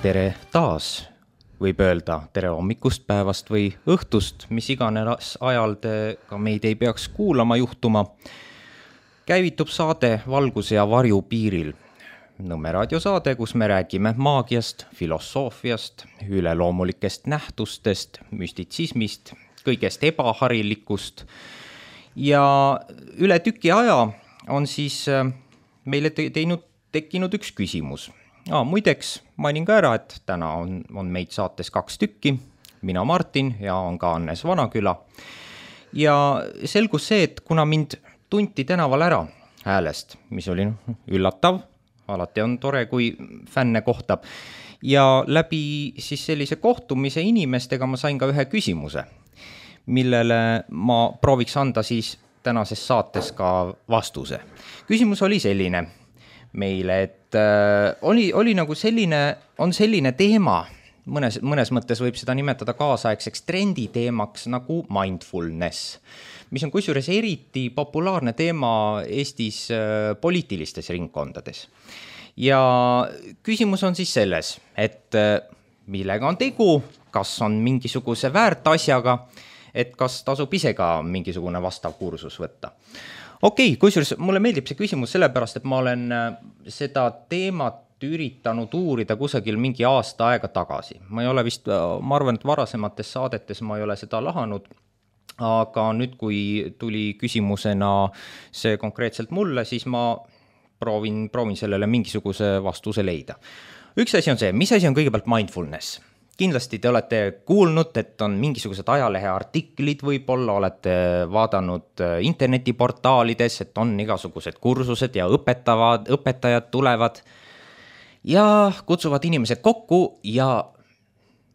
Tere taas, võib öelda tere hommikust, päevast või õhtust, mis iganes ajal te ka meid ei peaks kuulama juhtuma. Käivitub saade Valguse ja varju piiril. Nõmme raadiosaade, kus me räägime maagiast, filosoofiast, üleloomulikest nähtustest, müstitsismist, kõigest ebaharilikust. Ja üle tüki aja on siis meile tekkinud üks küsimus. Muideks mainin ka ära, et täna on meid saates 2 tükki, mina Martin ja on ka Annes Vanaküla. Ja selgus see, et kuna mind tunti tänaval ära häälest, mis oli üllatav, alati on tore, kui fänne kohtab, ja läbi siis sellise kohtumise inimestega ma sain ka ühe küsimuse, millele ma prooviks anda siis tänases saates ka vastuse. Küsimus oli selline meile, et oli nagu selline teema, mõnes mõttes võib seda nimetada kaasaegseks trenditeemaks nagu mindfulness, mis on kusjuures eriti populaarne teema Eestis poliitilistes ringkondades. Ja küsimus on siis selles, et millega on tegu, kas on mingisuguse väärt asjaga, et kas tasub ise ka mingisugune vastav kursus võtta. Okei, kusjuures mulle meeldib see küsimus sellepärast, et ma olen seda teemat üritanud uurida kusagil mingi aasta aega tagasi. Ma arvan, et varasemates saadetes ma ei ole seda lahanud, aga nüüd, kui tuli küsimusena see konkreetselt mulle, siis ma proovin sellele mingisuguse vastuse leida. Üks asi on see, mis asi on kõigepealt mindfulness? Kindlasti te olete kuulnud, et on mingisugused ajalehe artiklid, võib-olla olete vaadanud internetiportaalides, et on igasugused kursused ja õpetajad tulevad ja kutsuvad inimesed kokku ja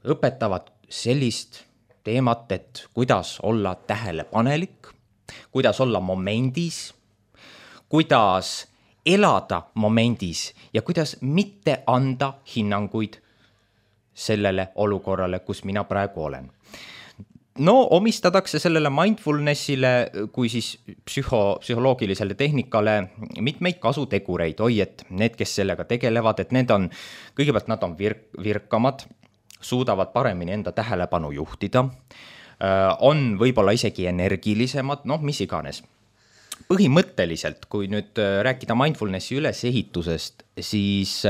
õpetavad sellist teemat, et kuidas olla tähelepanelik, kuidas olla momendis, kuidas elada momendis ja kuidas mitte anda hinnanguid sellele olukorrale, kus mina praegu olen. Omistatakse sellele mindfulnessile kui siis psühholoogilisele tehnikale mitmeid kasutegureid. Et need, kes sellega tegelevad, et kõigepealt nad on virkamad, suudavad paremini enda tähelepanu juhtida, on võib-olla isegi energilisemad, mis iganes. Põhimõtteliselt, kui nüüd rääkida mindfulnessi ülesehitusest, siis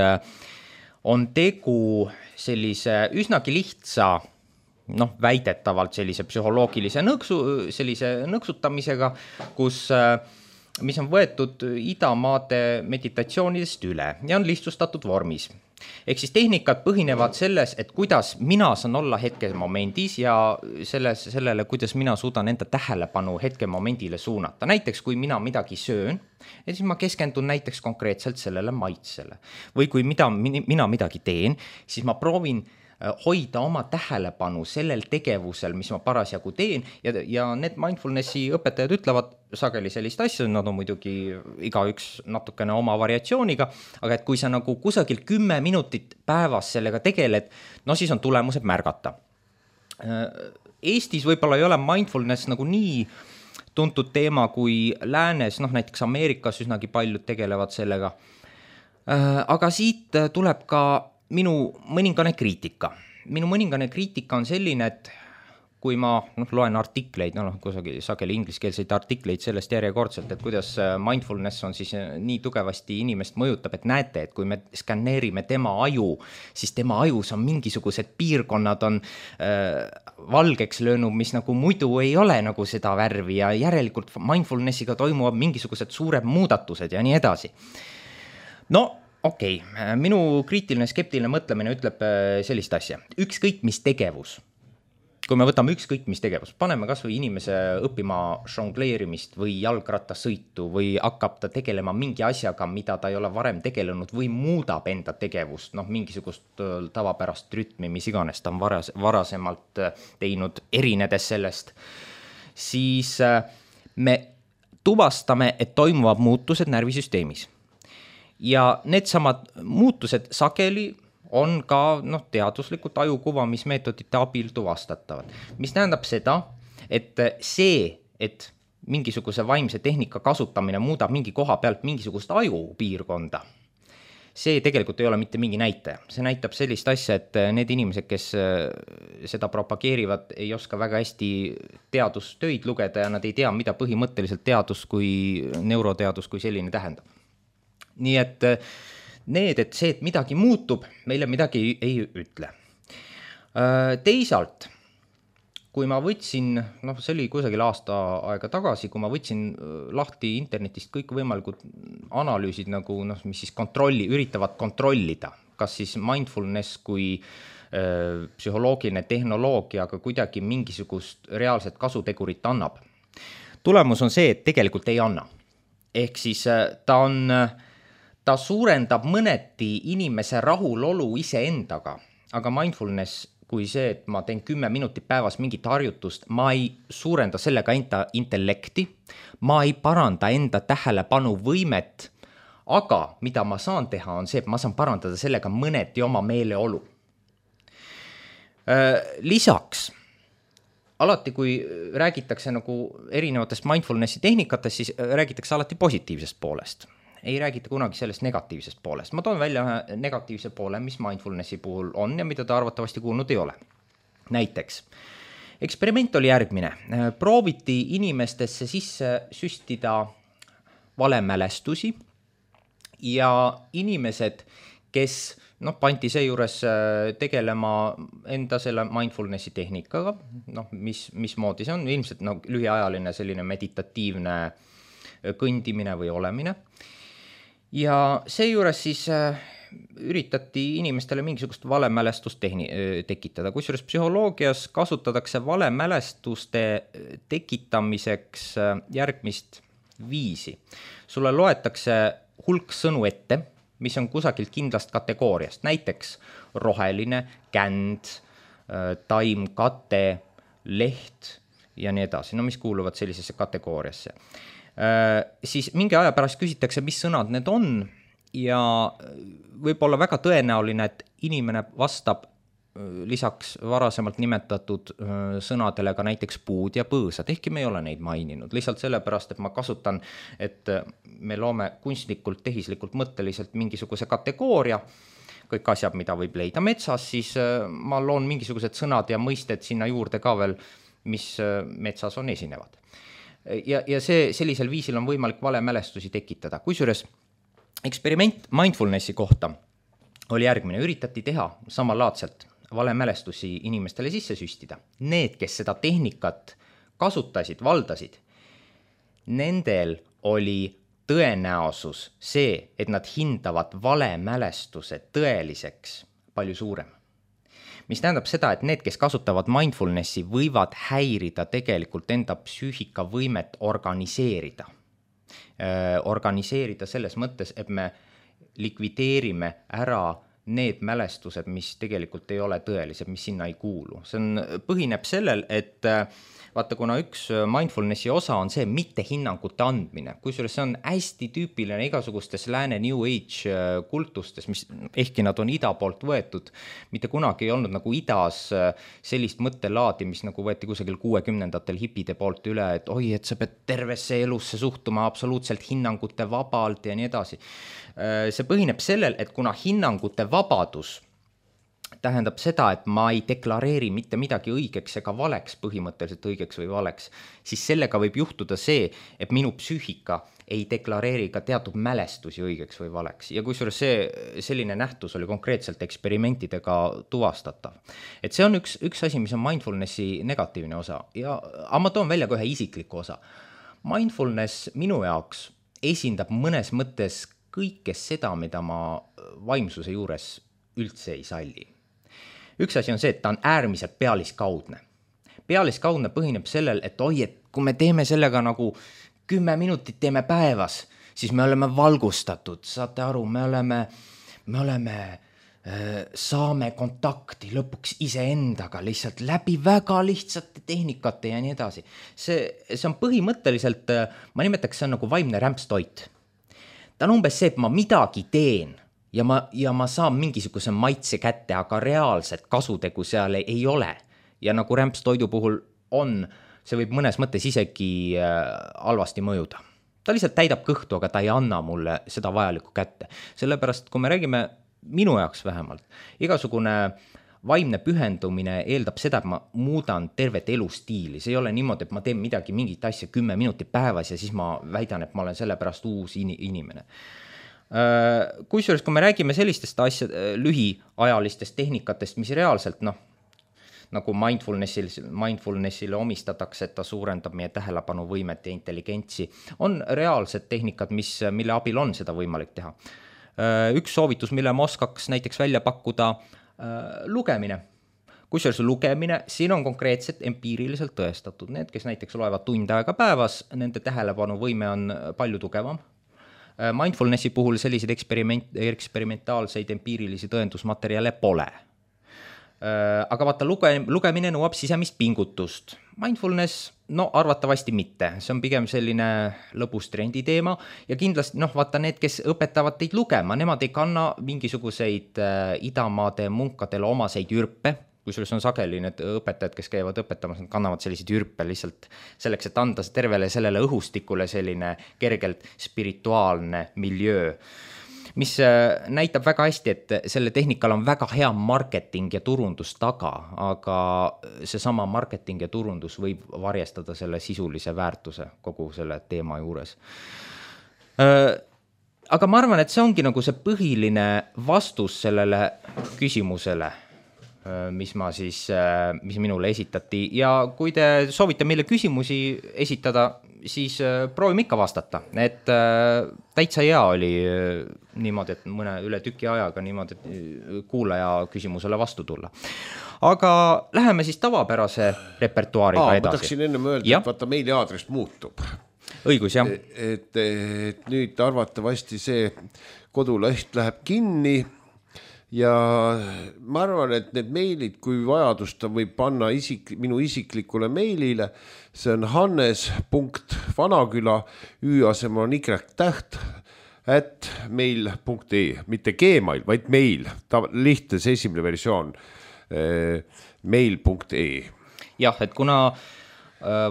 on tegu sellise üsnagi lihtsa, väidetavalt sellise psühholoogilise nõksutamisega, mis on võetud idamaade meditatsioonidest üle ja on lihtsustatud vormis. Ehk siis tehnikad põhinevad selles, et kuidas mina saan olla hetkemomendis ja sellele, kuidas mina suudan enda tähelepanu hetkemomendile suunata. Näiteks, kui mina midagi söön, siis ma keskendun näiteks konkreetselt sellele maitsele. Või kui mina midagi teen, siis ma proovin hoida oma tähelepanu sellel tegevusel, mis ma parasjagu teen ja need mindfulnessi õpetajad ütlevad sageli sellist asja, nad on muidugi igaüks natukene oma variatsiooniga, aga et kui sa nagu kusagil 10 minutit päevas sellega tegeled, siis on tulemused märgata. Eestis võib-olla ei ole mindfulness nagu nii tuntud teema kui läänes, näiteks Ameerikas üsnagi paljud tegelevad sellega, aga siit tuleb ka minu mõningane kriitika. Minu mõningane kriitika on selline, et kui ma loen artikleid, kusagil sageli ingliskeelseid artikleid sellest järjekordselt, et kuidas mindfulness on siis nii tugevasti inimest mõjutab, et näete, et kui me skanneerime tema aju, siis tema ajus on mingisugused piirkonnad on valgeks löönud, mis nagu muidu ei ole nagu seda värvi ja järelikult mindfulnessiga toimuvad mingisugused suured muudatused ja nii edasi. Okei, minu kriitiline skeptiline mõtlemine ütleb sellist asja. Ükskõik mis tegevus, kui me võtame ükskõik mis tegevus, paneme kas või inimese õppima žongleerimist või jalgrattasõitu või hakkab ta tegelema mingi asjaga, mida ta ei ole varem tegelenud või muudab enda tegevust, mingisugust tavapärast rütmi, mis iganes ta on varasemalt teinud, erinedes sellest, siis me tuvastame, et toimuvad muutused närvisüsteemis. Ja needsamad muutused sageli on ka teaduslikult ajukuvamismeetodite abil tuvastatavad. Mis tähendab seda, et mingisuguse vaimse tehnika kasutamine muudab mingi koha pealt mingisugust ajupiirkonda, see tegelikult ei ole mitte mingi näitaja. See näitab sellist asja, et need inimesed, kes seda propageerivad, ei oska väga hästi teadustöid lugeda ja nad ei tea, mida põhimõtteliselt teadus kui neuroteadus kui selline tähendab. Nii et see, et midagi muutub, meile midagi ei ütle. Teisalt, kui ma võtsin, see oli kusagil aasta aega tagasi, kui ma võtsin lahti internetist kõik võimalikud analüüsid, nagu mis siis üritavad kontrollida, kas siis mindfulness kui psühholoogiline tehnoloogia, aga kuidagi mingisugust reaalset kasutegurit annab. Tulemus on see, et tegelikult ei anna. Ehk siis ta suurendab mõneti inimese rahulolu iseendaga, aga mindfulness kui see, et ma teen 10 minutit päevas mingit harjutust, ma ei suurenda sellega enda intellekti, ma ei paranda enda tähelepanu võimet, aga mida ma saan teha on see, et ma saan parandada sellega mõneti oma meeleolu. Lisaks, alati kui räägitakse nagu erinevatest mindfulnessi tehnikatest, siis räägitakse alati positiivsest poolest. Ei räägita kunagi sellest negatiivsest poolest. Ma toon välja ühe negatiivse poole, mis mindfulnessi puhul on ja mida ta arvatavasti kuulnud ei ole. Näiteks, eksperiment oli järgmine. Prooviti inimestesse sisse süstida valemälestusi ja inimesed, kes pandi seejuures tegelema enda selle mindfulnessi tehnikaga, mismoodi see on, ilmselt lühiajaline selline meditatiivne kõndimine või olemine. Ja seejuures siis üritati inimestele mingisugust valemälestust tekitada. Kusjuures psühholoogias kasutatakse valemälestuste tekitamiseks järgmist viisi. Sulle loetakse hulk sõnu ette, mis on kusagilt kindlast kategooriast. Näiteks roheline, känd, taim, kate, leht ja nii edasi. Mis kuuluvad sellisesse kategooriasse. Siis mingi aja pärast küsitakse, mis sõnad need on ja võib olla väga tõenäoline, et inimene vastab lisaks varasemalt nimetatud sõnadele ka näiteks puud ja põõsad, ehkki me ei ole neid maininud. Lihtsalt sellepärast, et ma kasutan, et me loome kunstlikult, tehislikult, mõtteliselt mingisuguse kategooria, kõik asjad, mida võib leida metsas, siis ma loon mingisugused sõnad ja mõisted sinna juurde ka veel, mis metsas on esinevad. Ja sellisel viisil on võimalik valemälestusi tekitada. Kusjuures eksperiment mindfulnessi kohta oli järgmine. Üritati teha samalaadselt valemälestusi inimestele sisse süstida. Need, kes seda tehnikat kasutasid, valdasid, nendel oli tõenäosus see, et nad hindavad valemälestuse tõeliseks palju suurem. Mis tähendab seda, et need, kes kasutavad mindfulnessi, võivad häirida tegelikult enda psüühika võimet organiseerida. Organiseerida selles mõttes, et me likvideerime ära need mälestused, mis tegelikult ei ole tõelised, mis sinna ei kuulu. See põhineb sellel, et vaata, kuna üks mindfulnessi osa on see mitte hinnangute andmine, kusjuures see on hästi tüüpiline igasugustes lääne New Age kultustes, mis ehkki nad on ida poolt võetud, mitte kunagi ei olnud nagu idas sellist mõttelaadi, mis nagu võeti kusagil 60-ndatel hipide poolt üle, et oi, et sa pead tervesse elusse suhtuma absoluutselt hinnangute vabalt ja nii edasi. See põhineb sellel, et kuna hinnangute vabadus tähendab seda, et ma ei deklareeri mitte midagi õigeks ega valeks, põhimõtteliselt õigeks või valeks, siis sellega võib juhtuda see, et minu psüühika ei deklareeri ka teatud mälestusi õigeks või valeks. Ja kusjuures selline nähtus oli konkreetselt eksperimentidega tuvastatav. Et see on üks asi, mis on mindfulnessi negatiivne osa. Aga ma toon välja ka ühe isikliku osa. Mindfulness minu jaoks esindab mõnes mõttes kõike seda, mida ma vaimsuse juures üldse ei salli. Üks asi on see, et ta on äärmiselt pealiskaudne. Pealiskaudne põhineb sellel, et et kui me teeme sellega nagu 10 minutit teeme päevas, siis me oleme valgustatud, saate aru, saame kontakti lõpuks iseendaga lihtsalt läbi väga lihtsate tehnikate ja nii edasi. See on põhimõtteliselt, ma nimetaks, see on nagu vaimne rämpstoit. Ta on umbes see, et ma midagi teen ja ma saan mingisuguse maitse kätte, aga reaalset kasutegu seal ei ole. Ja nagu rämpstoidu puhul on, see võib mõnes mõttes isegi halvasti mõjuda. ta lihtsalt täidab kõhtu, aga ta ei anna mulle seda vajalikku kätte. Sellepärast, kui me räägime minu jaoks vähemalt, igasugune vaimne pühendumine eeldab seda, et ma muudan tervet elustiili. See ei ole niimoodi, et ma teen midagi, mingit asja 10 minutit päevas ja siis ma väidan, et ma olen sellepärast uus inimene. Kusjuures, kui me räägime sellistest lühiajalistest tehnikatest, mis reaalselt, nagu mindfulnessile omistatakse, et ta suurendab meie tähelepanuvõimet ja intelligentsi, on reaalsed tehnikad, mille abil on seda võimalik teha. Üks soovitus, mille ma oskaks näiteks välja pakkuda, lugemine. Kusjuures lugemine, siin on konkreetselt empiiriliselt tõestatud. Need, kes näiteks loevad tund aega päevas, nende tähelepanuvõime on palju tugevam. Mindfulnessi puhul selliseid eksperimentaalseid empiirilisi tõendusmaterjale pole. Aga vaata, lugemine nõuab sisemist pingutust. Mindfulness, arvatavasti mitte. See on pigem selline lõbus trendi teema ja kindlasti, vaata need, kes õpetavad teid lugema, nemad ei kanna mingisuguseid idamaade munkadele omaseid jürpe, kusjuures on sageli need õpetajad, kes käivad õpetamas, nad kannavad selliseid jürpe lihtsalt selleks, et anda tervele sellele õhustikule selline kergelt spirituaalne miljöö, mis näitab väga hästi, et selle tehnikal on väga hea marketing ja turundus taga, aga seesama marketing ja turundus võib varjestada selle sisulise väärtuse kogu selle teema juures. Aga ma arvan, et see ongi nagu see põhiline vastus sellele küsimusele, mis minule esitati. Ja kui te soovite meile küsimusi esitada, siis proovime ikka vastata. Et täitsa hea oli niimoodi, et mõne üle tüki ajaga niimoodi kuulaja küsimusele vastu tulla. Aga läheme siis tavapärase repertuaariga edasi. Ma tahaksin enne öelda, et vaata meili aadress muutub. Õigus, jah. Et nüüd arvatavasti see koduleht läheb kinni ja ma arvan, et need meilid, kui vajadust võib panna minu isiklikule meilile, see on hannes.vanaküla, ü-asemel on y-täht @mail.ee, mitte gmail, vaid mail, lihtne see esimene versioon, mail.ee. Jah, et kuna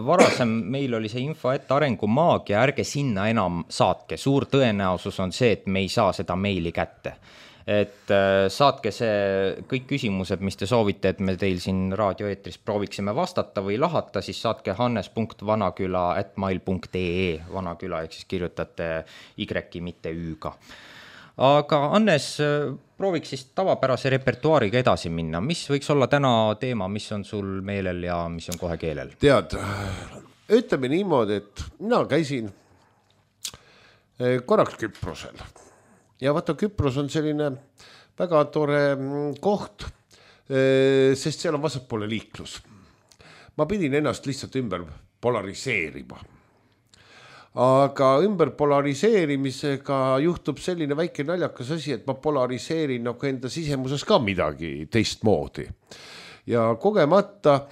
varasem meil oli see info, et arengumaagia, ärge sinna enam saatke, suur tõenäosus on see, et me ei saa seda meili kätte. Et saatke see kõik küsimused, mis te soovite, et me teil siin raadioeetris prooviksime vastata või lahata, siis saatke hannes.vanaküla@mail.ee, vanaküla, ehk siis kirjutate y-i, mitte ü-ga. Aga Hannes, prooviks siis tavapärase repertuaariga edasi minna. Mis võiks olla täna teema, mis on sul meelel ja mis on kohe keelel? Tead, ütleme niimoodi, et mina käisin korraks Küprosel. Ja vaata, Küpros on selline väga tore koht, sest seal on vasakpoole liiklus. Ma pidin ennast lihtsalt ümber polariseerima. Aga ümber polariseerimisega juhtub selline väike naljakas asi, et ma polariseerin nagu enda sisemuses ka midagi teistmoodi. Ja kogemata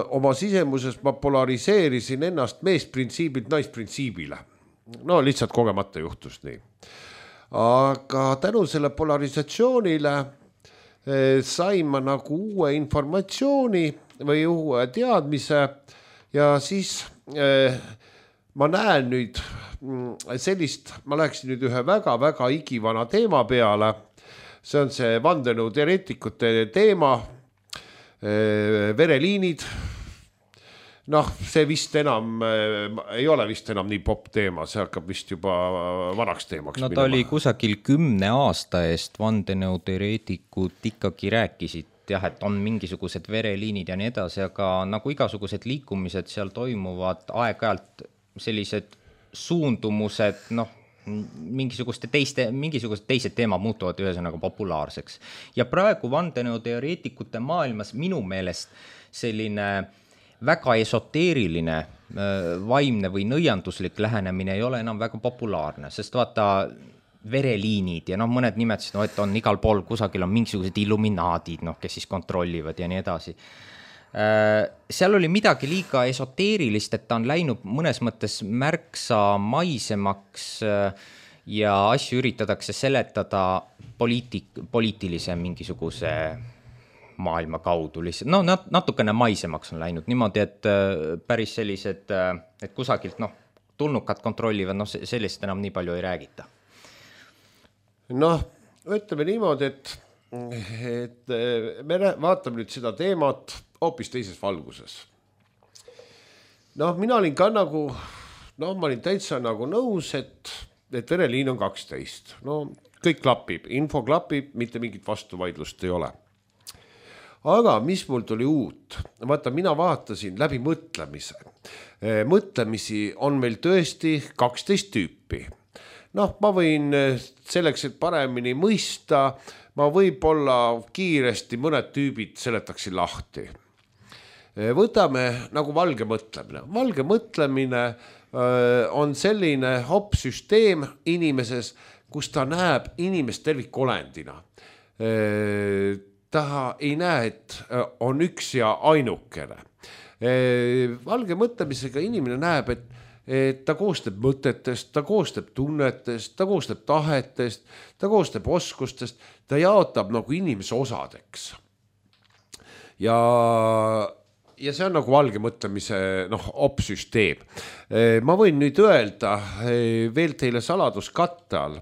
oma sisemuses ma polariseerisin ennast meesprintsiibilt naisprintsiibile. No lihtsalt kogemata juhtus nii. Aga tänu selle polarisatsioonile sain ma nagu uue informatsiooni või uue teadmise ja siis ma näen nüüd sellist, ma läheksin nüüd ühe väga-väga igivana teema peale. See on see vandenõuteoreetikute teema, vereliinid. See vist enam ei ole vist enam nii popp teema, see hakkab vist juba vanaks teemaks. No ta oli kusagil 10 aasta eest vandenõuteoreetikud ikkagi rääkisid, jah, et on mingisugused vereliinid ja nii edasi, aga nagu igasugused liikumised seal toimuvad aeg-ajalt sellised suundumused, mingisugused teised teemad muutuvad ühesõnaga populaarseks. Ja praegu vandenõuteoreetikute maailmas minu meelest selline väga esoteeriline, vaimne või nõianduslik lähenemine ei ole enam väga populaarne, sest vaata vereliinid ja mõned nimetasid, et on igal pool kusagil on mingisugused illuminaadid, kes siis kontrollivad ja nii edasi. Seal oli midagi liiga esoteerilist, et ta on läinud mõnes mõttes märksa maisemaks ja asju üritatakse seletada poliitilise mingisuguse maailma kaudu lihtsalt. Natukene maisemaks on läinud niimoodi, et päris sellised, et kusagilt tulnukad kontrollivad, noh, sellest enam nii palju ei räägita. Noh, ütleme niimoodi, et me vaatame nüüd seda teemat hoopis teises valguses. Noh, mina olin ka nagu, noh, ma olin täitsa nagu nõus, et vereliin on 12. No kõik klapib, info klapib, mitte mingit vastuvaidlust ei ole. Aga mis mul tuli uut? Vaata, mina vaatasin läbi mõtlemise. Mõtlemisi on meil tõesti 12 tüüpi. Noh, ma võin selleks, et paremini mõista, ma võib-olla kiiresti mõned tüübid seletaksin lahti. Võtame nagu valge mõtlemine. Valge mõtlemine on selline süsteem inimeses, kus ta näeb inimest tervikolendina. Ta ei näe, et on üks ja ainukene. Valge mõtlemisega inimene näeb, et ta koostab mõtetest, ta koostab tunnetest, ta koostab tahetest, ta koostab oskustest, ta jaotab nagu inimese osadeks. Ja see on nagu valge mõtlemise süsteem. Ma võin nüüd öelda veel teile saladuskatte all,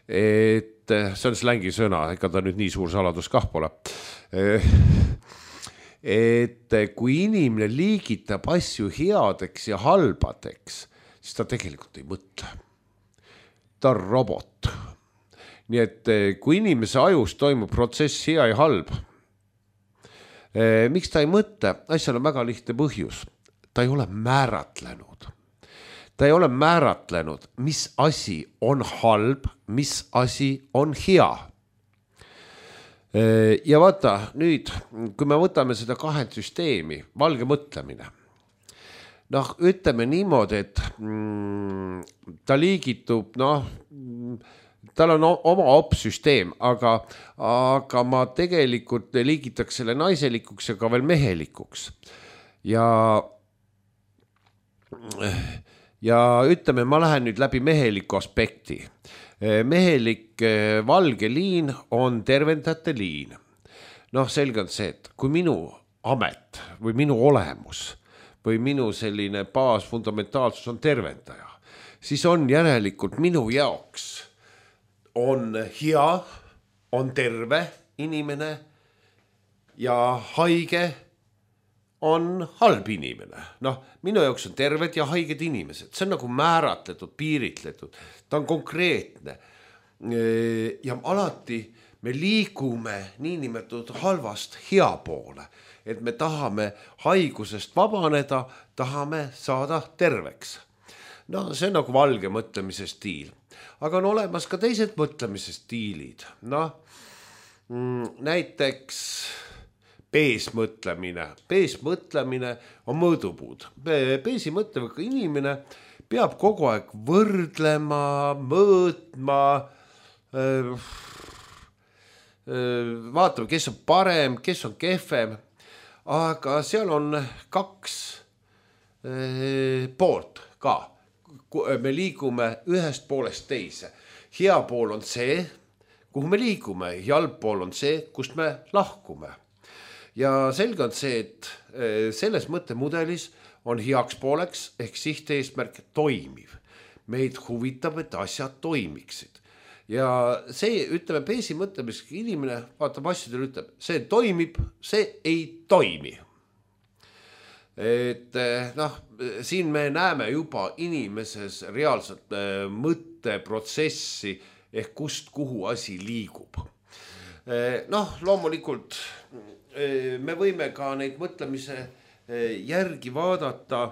et see on slängi sõna, ega ta nüüd nii suur saladus kah pole. Et kui inimene liigitab asju headeks ja halbadeks, siis ta tegelikult ei mõtle. Ta on robot. Nii et kui inimese ajus toimub protsess hea ja halb, miks ta ei mõtle? Asjal on väga lihtne põhjus. Ta ei ole määratlenud. Ta ei ole määratlenud, mis asi on halb, mis asi on hea. Ja vaata, nüüd, kui me võtame seda kahet süsteemi, valge mõtlemine, noh, ütleme niimoodi, et ta liigitub, noh, tal on oma süsteem, aga ma tegelikult liigitaks selle naiselikuks ja ka veel mehelikuks. Ja ütleme, ma lähen nüüd läbi meheliku aspekti. Mehelik valge liin on tervendajate liin. Noh, selge on see, et kui minu amet või minu olemus või minu selline baasfundamentaalsus on tervendaja, siis on järelikult minu jaoks on hea, on terve inimene ja haige on halb inimene. Noh, minu jaoks on terved ja haiged inimesed. See on nagu määratletud, piiritletud. Ta on konkreetne. Ja alati me liigume niinimetatud halvast hea poole. Et me tahame haigusest vabaneda, tahame saada terveks. No see on nagu valge mõtlemise stiil. Aga on olemas ka teised mõtlemise stiilid. Noh, näiteks peesmõtlemine. Peesmõtlemine on mõõdupuud. Peesi mõtleva inimene peab kogu aeg võrdlema, mõõtma, vaatame, kes on parem, kes on kehvem, aga seal on kaks poolt ka. Me liigume ühest poolest teise. Hea pool on see, kuhu me liigume, halb pool on see, kust me lahkume. Ja selge on see, et selles mõttemudelis on heaks pooleks ehk sihteesmärk toimiv. Meid huvitab, et asjad toimiksid. Ja see, ütleme, peesi mõtlemisega inimene vaatab asjadele, ütleb, see toimib, see ei toimi. Et noh, siin me näeme juba inimeses reaalselt mõtteprotsessi ehk kust kuhu asi liigub. Noh, loomulikult me võime ka neid mõtlemise järgi vaadata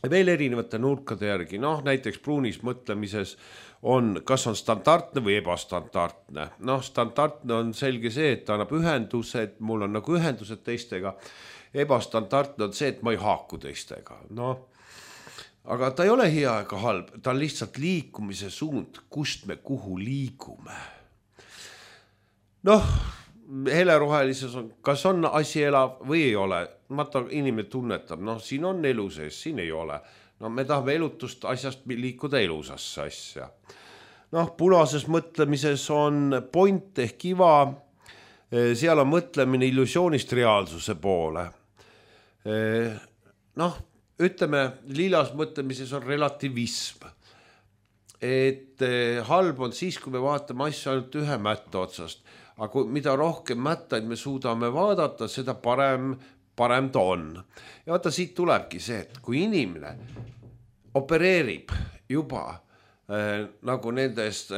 veel erinevate nurkade järgi. Noh, näiteks Bruunis mõtlemises on, kas on standardne või ebastandardne. Noh, standardne on selge see, et ta annab ühendused, mul on nagu ühendused teistega. Ebastandardne on see, et ma ei haaku teistega. Noh, aga ta ei ole hea ega halb, ta on lihtsalt liikumise suund, kust me kuhu liigume. Noh, helerohelises on, kas on asi elav või ei ole. Vaata, inimene tunnetab, noh, siin on elu sees, siin ei ole. No me tahame elutust asjast liikuda elusasse asja. Noh, punases mõtlemises on point ehk kiva, seal on mõtlemine illusioonist reaalsuse poole. Noh, ütleme, liilas mõtlemises on relativism. Et halb on siis, kui me vaatame asju ainult ühe mätta otsast, aga mida rohkem mättaid me suudame vaadata, seda parem ta on. Ja vaata, siit tulebki see, et kui inimene opereerib juba nagu nendest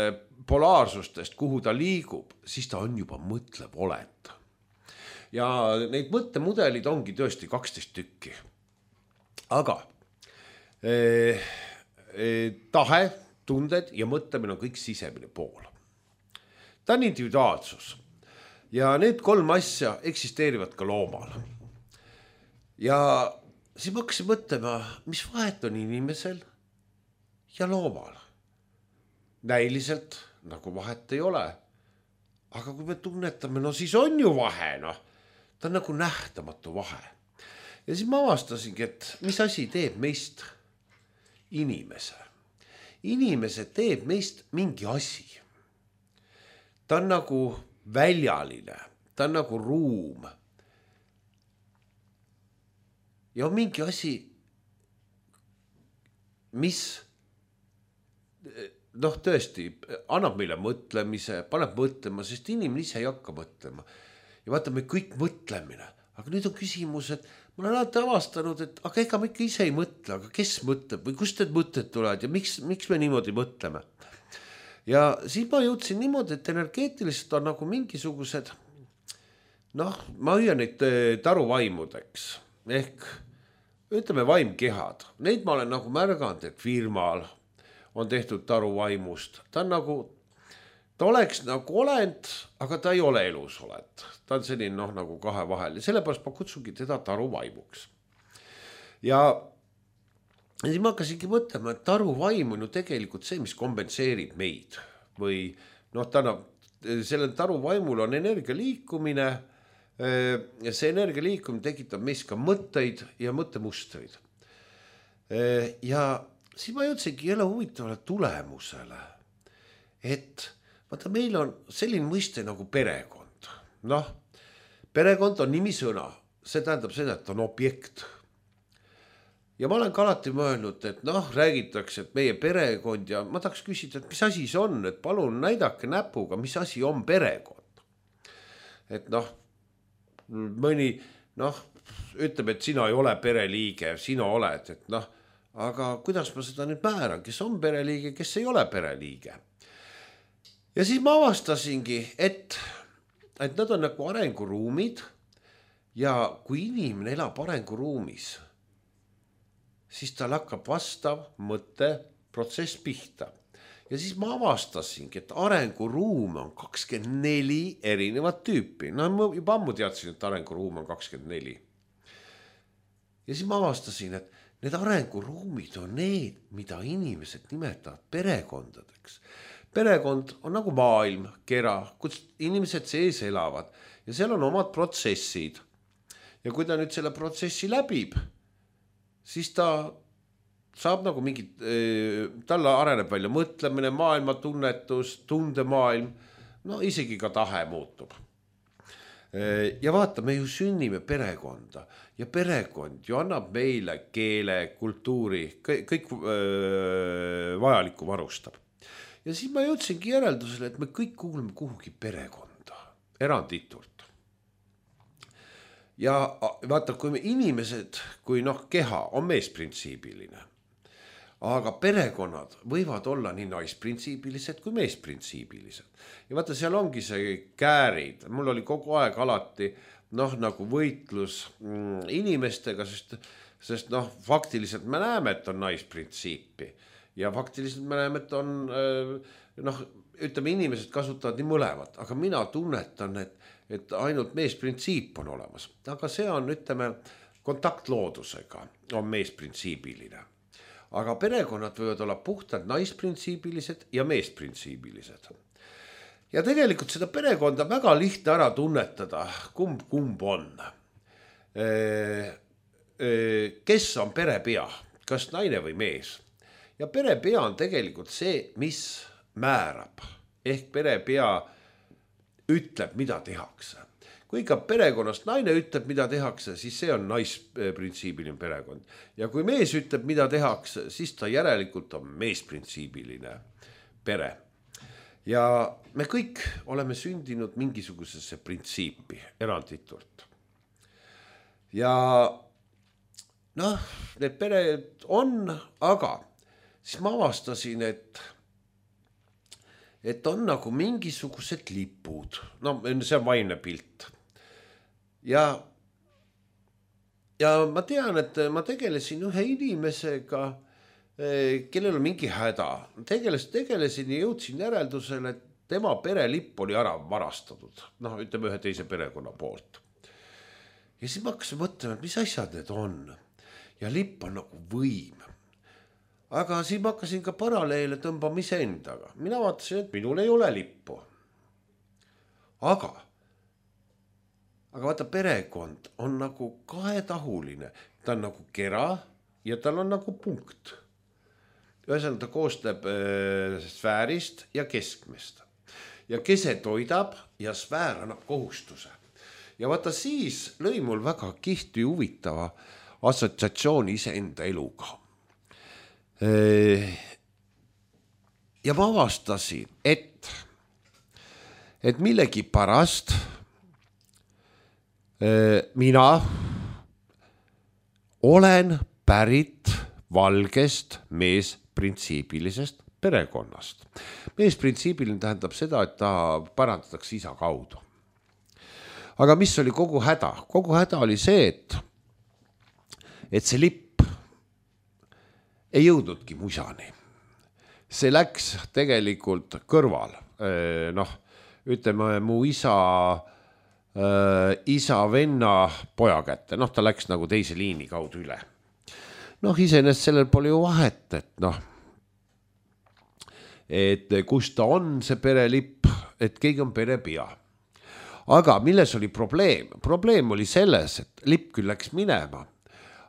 polaarsustest, kuhu ta liigub, siis ta on juba mõtlev olend. Ja neid mõttemudelid ongi tõesti 12 tükki. Aga tahe, tunded ja mõtlemine on kõik sisemine pool. Ta on individuaalsus. Ja need 3 asja eksisteerivad ka loomal. Ja siis ma hakkasin mõtlema, mis vahet on inimesel ja loomal. Näiliselt nagu vahet ei ole. Aga kui me tunnetame, no siis on ju vahe, noh. Ta on nagu nähtamatu vahe. Ja siis ma avastasingi, et mis asi teeb meist inimese. Inimese teeb meist mingi asi. Ta on nagu väljaline, ta on nagu ruum. Ja on mingi asi, mis tõesti annab meile mõtlemise, paneb mõtlema, sest inimene ise ei hakka mõtlema. Ja vaata, me kõik mõtlemine. Aga nüüd on küsimus, et ma olen alati avastanud, et aga ega me ikka ise ei mõtle, aga kes mõtleb või kust need mõtted tulevad ja miks me niimoodi mõtleme. Ja siis ma jõudsin niimoodi, et energeetiliselt on nagu mingisugused, ma hüüan neid taruvaimudeks, ehk ütleme vaimkehad. Neid ma olen nagu märganud, et firmal on tehtud taruvaimust. Ta oleks nagu olend, aga ta ei ole elus olend. Ta on selline nagu kahe vahel ja sellepärast ma kutsungi teda taruvaimuks. Ja siis ma hakkasingi mõtlema, et taruvaim on ju tegelikult see, mis kompenseerib meid. Või selle taruvaimul on energia liikumine ja see energia liikumine tekitab meis ka mõtteid ja mõttemustreid. Ja siis ma jõudsingi jälle huvitavale tulemusele, et vaata, meil on selline mõiste nagu perekond. Perekond on nimisõna, see tähendab seda, et on objekt. Ja ma olen ka alati mõelnud, et räägitakse, et meie perekond ja ma tahaks küsida, et mis asi see on, et palun näidake näpuga, mis asi on perekond. Et mõni ütleb, et sina ei ole pereliige, sina oled, et aga kuidas ma seda nüüd määran, kes on pereliige, kes ei ole pereliige. Ja siis ma avastasingi, et nad on nagu arenguruumid ja kui inimene elab arenguruumis, siis tal hakkab vastav mõtteprotsess pihta. Ja siis ma avastasingi, et arenguruum on 24 erinevat tüüpi. Ma juba ammu teadsin, et arenguruum on 24. Ja siis ma avastasin, et need arenguruumid on need, mida inimesed nimetavad perekondadeks. Perekond on nagu maailm, kera, kus inimesed sees elavad ja seal on omad protsessid. Ja kui ta nüüd selle protsessi läbib, siis ta saab nagu mingit, talle areneb välja mõtlemine, maailmatunnetus, tundemaailm, isegi ka tahe muutub. Ja vaata, me ju sünnime perekonda ja perekond ju annab meile keele, kultuuri, kõik vajalikku varustab. Ja siis ma jõudsingi järeldusele, et me kõik kuuleme kuhugi perekonda, eranditult. Ja vaata, kui me inimesed, kui keha on meesprintsiibiline, aga perekonnad võivad olla nii naisprintsiibilised kui meesprintsiibilised. Ja vaata, seal ongi see käärid. Mul oli kogu aeg alati nagu võitlus inimestega, sest faktiliselt me näeme, et on naisprintsiipi. Ja faktiliselt me näeme, et on, ütleme, inimesed kasutavad nii mõlemat, aga mina tunnetan, et ainult meesprintsiip on olemas. Aga see on, ütleme, kontakt loodusega on meesprintsiibiline. Aga perekonnad võivad olla puhtalt naisprintsiibilised ja meesprintsiibilised. Ja tegelikult seda perekonda väga lihtne ära tunnetada, kumb on. Kes on perepea, kas naine või mees? Ja perepea on tegelikult see, mis määrab. Ehk perepea ütleb, mida tehakse. Kui ikka perekonnast naine ütleb, mida tehakse, siis see on naisprintsiibiline perekond. Ja kui mees ütleb, mida tehakse, siis ta järelikult on meesprintsiibiline pere. Ja me kõik oleme sündinud mingisugusesse printsiipi eranditult. Ja noh, need pered on, aga siis ma avastasin, et on nagu mingisugused lipud. No see on vaimne pilt. Ja ma tean, et ma tegelesin ühe inimesega, kellel on mingi häda. Tegelesin ja jõudsin järeldusele, et tema perelipp oli ära varastatud. Noh, ütleme ühe teise perekonna poolt. Ja siis ma hakkasin mõtlema, et mis asjad need on. Ja lipp on nagu võim. Aga siis ma hakkasin ka paralleele tõmbama iseendaga. Mina vaatasin, et minul ei ole lippu. Aga vaata, perekond on nagu kahetahuline. Ta on nagu kera ja tal on nagu punkt. Ühesõnaga ta koostab sfäärist ja keskmest. Ja kese toidab ja sfäär annab kohustuse. Ja vaata, siis lõi mul väga kihti huvitava assotsiatsiooni iseenda eluga. Ja ma avastasin, et millegi pärast mina olen pärit valgest meesprintsiibilisest perekonnast. Meesprintsiibiline tähendab seda, et ta parandatakse isa kaudu. Aga mis oli kogu häda? Kogu häda oli see, et see lipp ei jõudnudki musani. See läks tegelikult kõrval. Noh, ütleme mu isa venna poja kätte. Noh, ta läks nagu teise liini kaudu üle. Noh, iseenesest sellel pole ju vahet, et kus ta on see perelipp, et keegi on perepea. Aga milles oli probleem? Probleem oli selles, et lipp küll läks minema,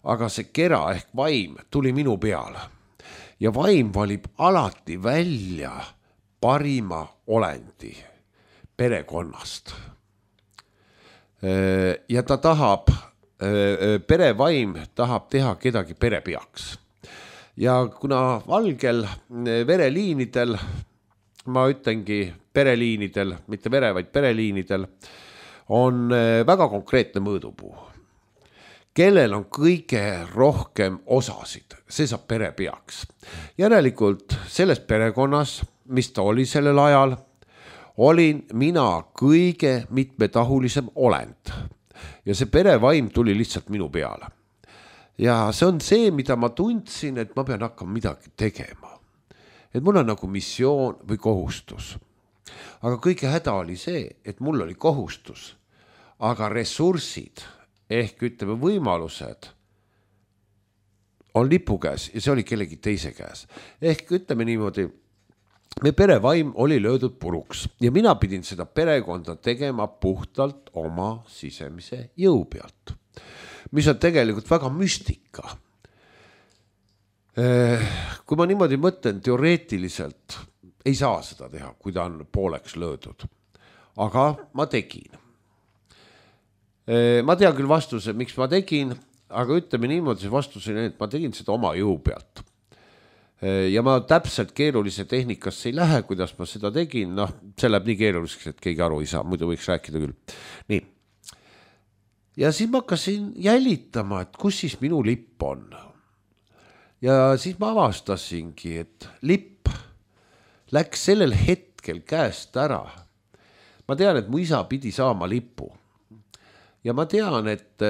aga see kera ehk vaim tuli minu peale. Ja vaim valib alati välja parima olendi perekonnast. Ja ta tahab, perevaim tahab teha kedagi perepeaks. Ja kuna valgel vereliinidel, ma ütlengi pereliinidel, mitte vere, vaid pereliinidel, on väga konkreetne mõõdupuu. Kellel on kõige rohkem osasid, see saab perepeaks. Järelikult selles perekonnas, mis ta oli sellel ajal, olin mina kõige mitmetahulisem olend. Ja see perevaim tuli lihtsalt minu peale. Ja see on see, mida ma tundsin, et ma pean hakkama midagi tegema. Et mul on nagu missioon või kohustus. Aga kõige häda oli see, et mul oli kohustus, aga ressursid ehk ütleme võimalused on lipu käes ja see oli kellegi teise käes. Ehk ütleme niimoodi, me perevaim oli löödud puruks ja mina pidin seda perekonda tegema puhtalt oma sisemise jõu pealt, mis on tegelikult väga müstika. Kui ma niimoodi mõtlen, teoreetiliselt ei saa seda teha, kui ta on pooleks löödud. Aga ma tegin. Ma tean küll vastuse, miks ma tegin, aga ütleme niimoodi, see vastus oli, et ma tegin seda oma jõu pealt. Ja ma täpselt keerulise tehnikasse ei lähe, kuidas ma seda tegin. Noh, see läheb nii keeruliseks, et keegi aru ei saa, muidu võiks rääkida küll. Nii. Ja siis ma hakkasin jälitama, et kus siis minu lipp on. Ja siis ma avastasingi, et lipp läks sellel hetkel käest ära. Ma tean, et mu isa pidi saama lipu. Ja ma tean, et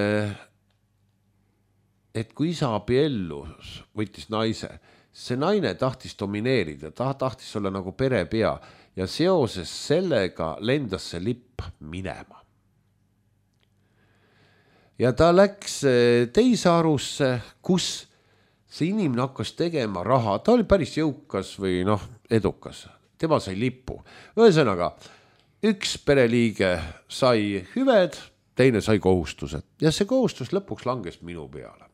kui isa abiellus, võttis naise, see naine tahtis domineerida, ta tahtis olla nagu perepea ja seoses sellega lendas see lipp minema. Ja ta läks teise arusse, kus see inimene hakkas tegema raha. Ta oli päris jõukas või edukas. Tema sai lipu. Ühesõnaga, üks pereliige sai hüved, teine sai kohustused. Ja see kohustus lõpuks langes minu peale.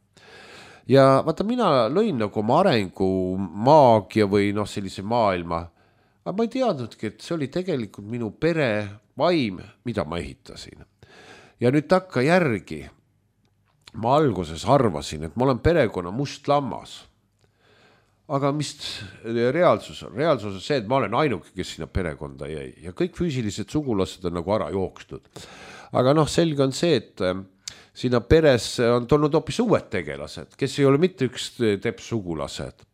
Ja vaata, mina lõin nagu oma arengu maagia või sellise maailma. Aga ma ei teadnudki, et see oli tegelikult minu pere vaim, mida ma ehitasin. Ja nüüd takka järgi ma alguses arvasin, et ma olen perekonna must lammas. Aga mis reaalsus on? Reaalsus on see, et ma olen ainuke, kes sinna perekonda jäi ja kõik füüsilised sugulased on nagu ära jookstud. Aga selge on see, et sinna peres on tulnud hoopis uued tegelased, kes ei ole mitte üks teps sugulased.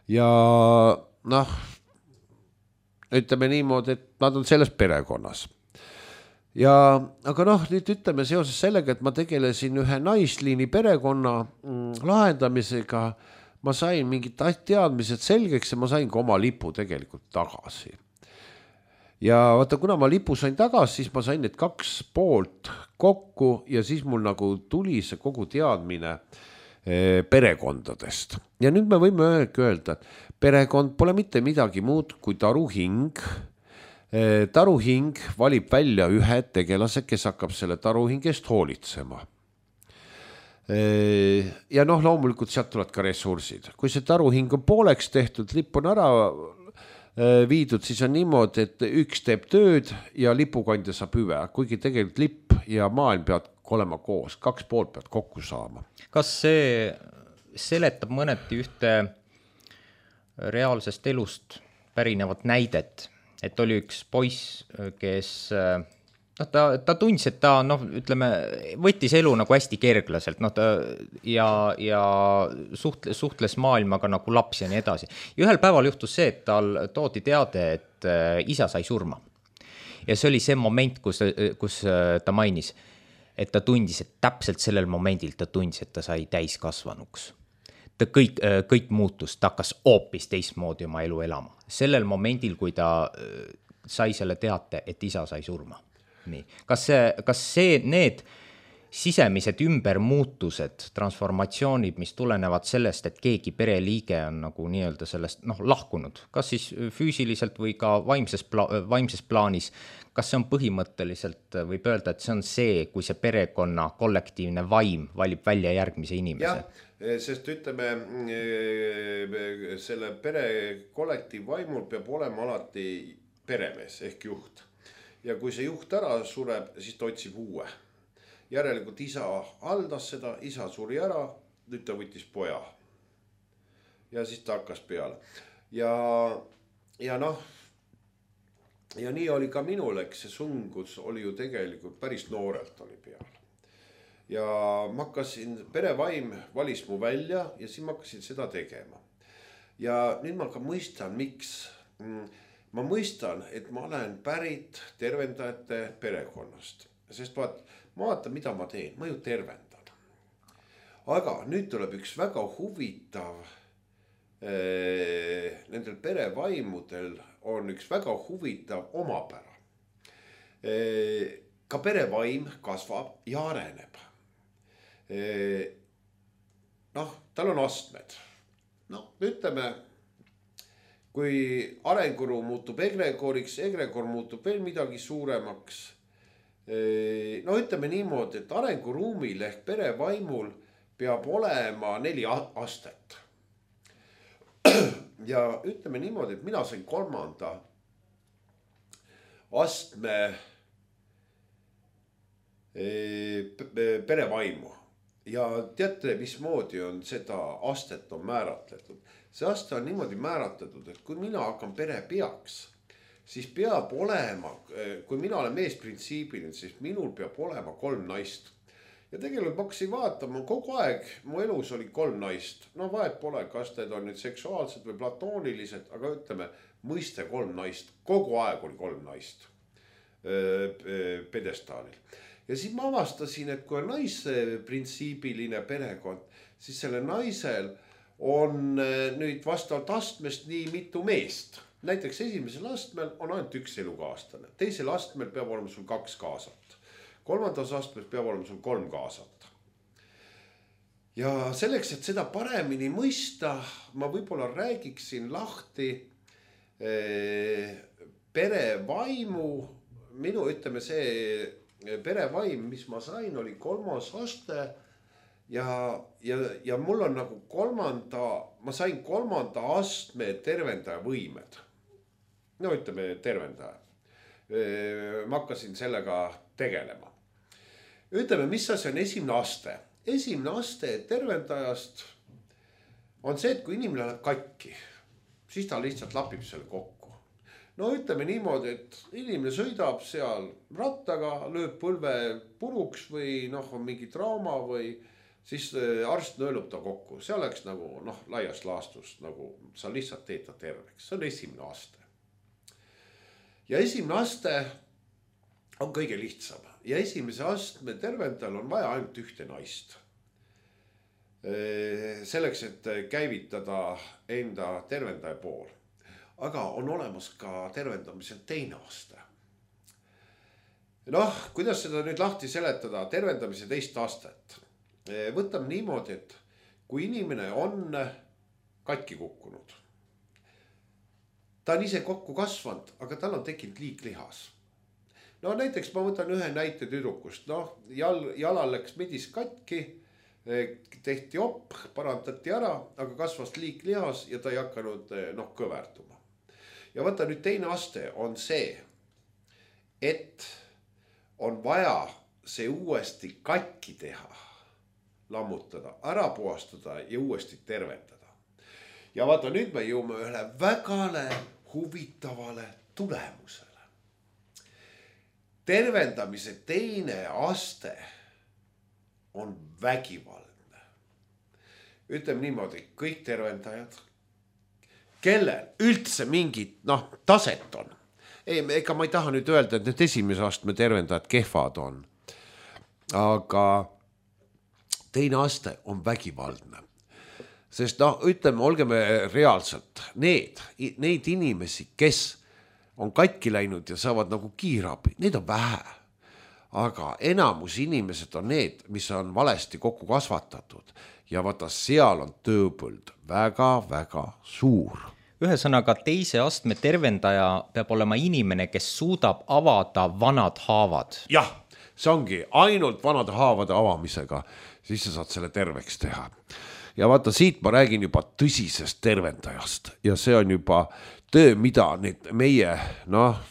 Ja ütleme niimoodi, et nad on selles perekonnas. Aga nüüd ütleme seoses sellega, et ma tegelesin ühe naisliini perekonna lahendamisega, ma sain mingid teadmised selgeks ja ma sain ka oma lipu tegelikult tagasi. Ja vaata, kuna ma lipu sain tagasi, siis ma sain need 2 poolt kokku ja siis mul nagu tuli see kogu teadmine perekondadest. Ja nüüd me võime öelda, et perekond pole mitte midagi muud kui taruhing. Taruhing valib välja ühe tegelase, kes hakkab selle taruhingest hoolitsema. Ja loomulikult sealt tulevad ka ressursid. Kui see taruhing on pooleks tehtud, lipp on ära viidud, siis on niimoodi, et üks teeb tööd ja lipukandja saab hüve, kuigi tegelikult lipp ja maailm peavad olema koos, 2 poolt peavad kokku saama. Kas see seletab mõneti ühte reaalsest elust pärinevat näidet, et oli üks poiss, kes ta tundis, et ta võttis elu nagu hästi kerglaselt, ja suhtles maailmaga nagu laps ja nii edasi. Ja ühel päeval juhtus see, et tal toodi teade, et isa sai surma. Ja see oli see moment, kus ta mainis, et ta tundis, et täpselt sellel momendil ta tundis, et ta sai täiskasvanuks. Ta kõik muutus, ta hakkas hoopis teistmoodi oma elu elama. Sellel momendil, kui ta sai selle teate, et isa sai surma. Nii. Kas need sisemised ümbermuutused, transformatsioonid, mis tulenevad sellest, et keegi pereliige on nagu nii-öelda sellest lahkunud, kas siis füüsiliselt või ka vaimses plaanis, kas see on põhimõtteliselt, võib öelda, et see on see, kui see perekonna kollektiivne vaim valib välja järgmise inimese? Ja, sest ütleme, selle pere kollektiivvaimul peab olema alati peremees ehk juht. Ja kui see juht ära sureb, siis ta otsib uue. Järelikult isa haldas seda, isa suri ära, nüüd ta võttis poja. Ja siis ta hakkas peale. Ja nii oli ka minul, eks see sungus oli ju tegelikult päris noorelt oli peal. Ja ma hakkasin, perevaim valis mu välja ja siis ma hakkasin seda tegema. Ja nüüd ma ka mõistan, miks. Ma mõistan, et ma olen pärit tervendajate perekonnast, sest vaata, mida ma teen, ma ju tervendan. Aga nüüd tuleb üks väga huvitav, nendel perevaimudel on üks väga huvitav omapära. Ka perevaim kasvab ja areneb. Tal on astmed. Ütleme, kui arenguru muutub egregoriks, egregor muutub veel midagi suuremaks. Ütleme niimoodi, et arenguruumil ehk perevaimul peab olema 4 astet. Ja ütleme niimoodi, et mina sain 3. astme perevaimu. Ja teate, mismoodi on seda astet on määratletud. See aste on niimoodi määratletud, et kui mina hakkan perepeaks, siis peab olema, kui mina olen meesprintsiibiline, siis minul peab olema 3 naist. Ja tegelikult ma hakkasin vaatama, kogu aeg mu elus oli 3 naist. Vahet pole, kas need on nüüd seksuaalsed või platoonilised, aga ütleme, mõiste 3 naist. Kogu aeg oli 3 naist pedestaalil. Ja siis ma avastasin, et kui on naisprintsiibiline perekond, siis selle naisel on nüüd vastavalt astmest nii mitu meest. Näiteks esimesel astmel on ainult 1 elukaaslane. Teisel astmel peab olema sul 2 kaasat. 3. astmes peab olema sul 3 kaasat. Ja selleks, et seda paremini mõista, ma võib-olla räägiksin lahti perevaimu. Minu ütleme see perevaim, mis ma sain, oli 3. aste. Ja mul on nagu ma sain 3. astme tervendaja võimed. Ütleme tervendaja. ma hakkasin sellega tegelema. Ütleme, mis asi on esimene aste? Esimene aste tervendajast on see, et kui inimene läheb katki, siis ta lihtsalt lapib selle kokku. No ütleme niimoodi, et inimene sõidab seal rattaga, lööb põlve puruks või on mingi trauma või siis arst nõelub ta kokku. See oleks nagu laias laastus, nagu sa lihtsalt teed ta terveks. See on esimene aste. Ja esimene aste on kõige lihtsam. Ja esimese astme tervendajal on vaja ainult ühte naist. Selleks, et käivitada enda tervendaja pool. Aga on olemas ka tervendamisel teine aste. Kuidas seda nüüd lahti seletada? Tervendamise teist astet. Võtame niimoodi, et kui inimene on katki kukkunud, ta on ise kokku kasvanud, aga tal on tekkinud liiklihas. Näiteks ma võtan ühe näite tüdrukust. Jalal läks midis katki, tehti op, parandati ära, aga kasvas liiklihas ja ta ei hakanud kõverduma. Ja võta nüüd teine aste on see, et on vaja see uuesti katki teha, lammutada, ära puhastada ja uuesti tervendada. Ja vaata, nüüd me jõuame ühele vägale huvitavale tulemusele. Tervendamise teine aste on vägivaldne. Ütleme niimoodi, kõik tervendajad, kellel üldse mingit taset on. Ega ma ei taha nüüd öelda, et need esimese astme tervendajad kehvad on. Aga teine aste on vägivaldne. Sest ütleme, olgeme reaalselt, neid inimesi, kes on katki läinud ja saavad nagu kiirabi, neid on vähe. Aga enamus inimesed on need, mis on valesti kokku kasvatatud. Ja vaata, seal on tööpõld väga-väga suur. Ühesõnaga, teise astme tervendaja peab olema inimene, kes suudab avada vanad haavad. Jah, see ongi ainult vanade haavade avamisega, siis sa saad selle terveks teha. Ja vaata, siit ma räägin juba tõsisest tervendajast ja see on juba töö, mida need meie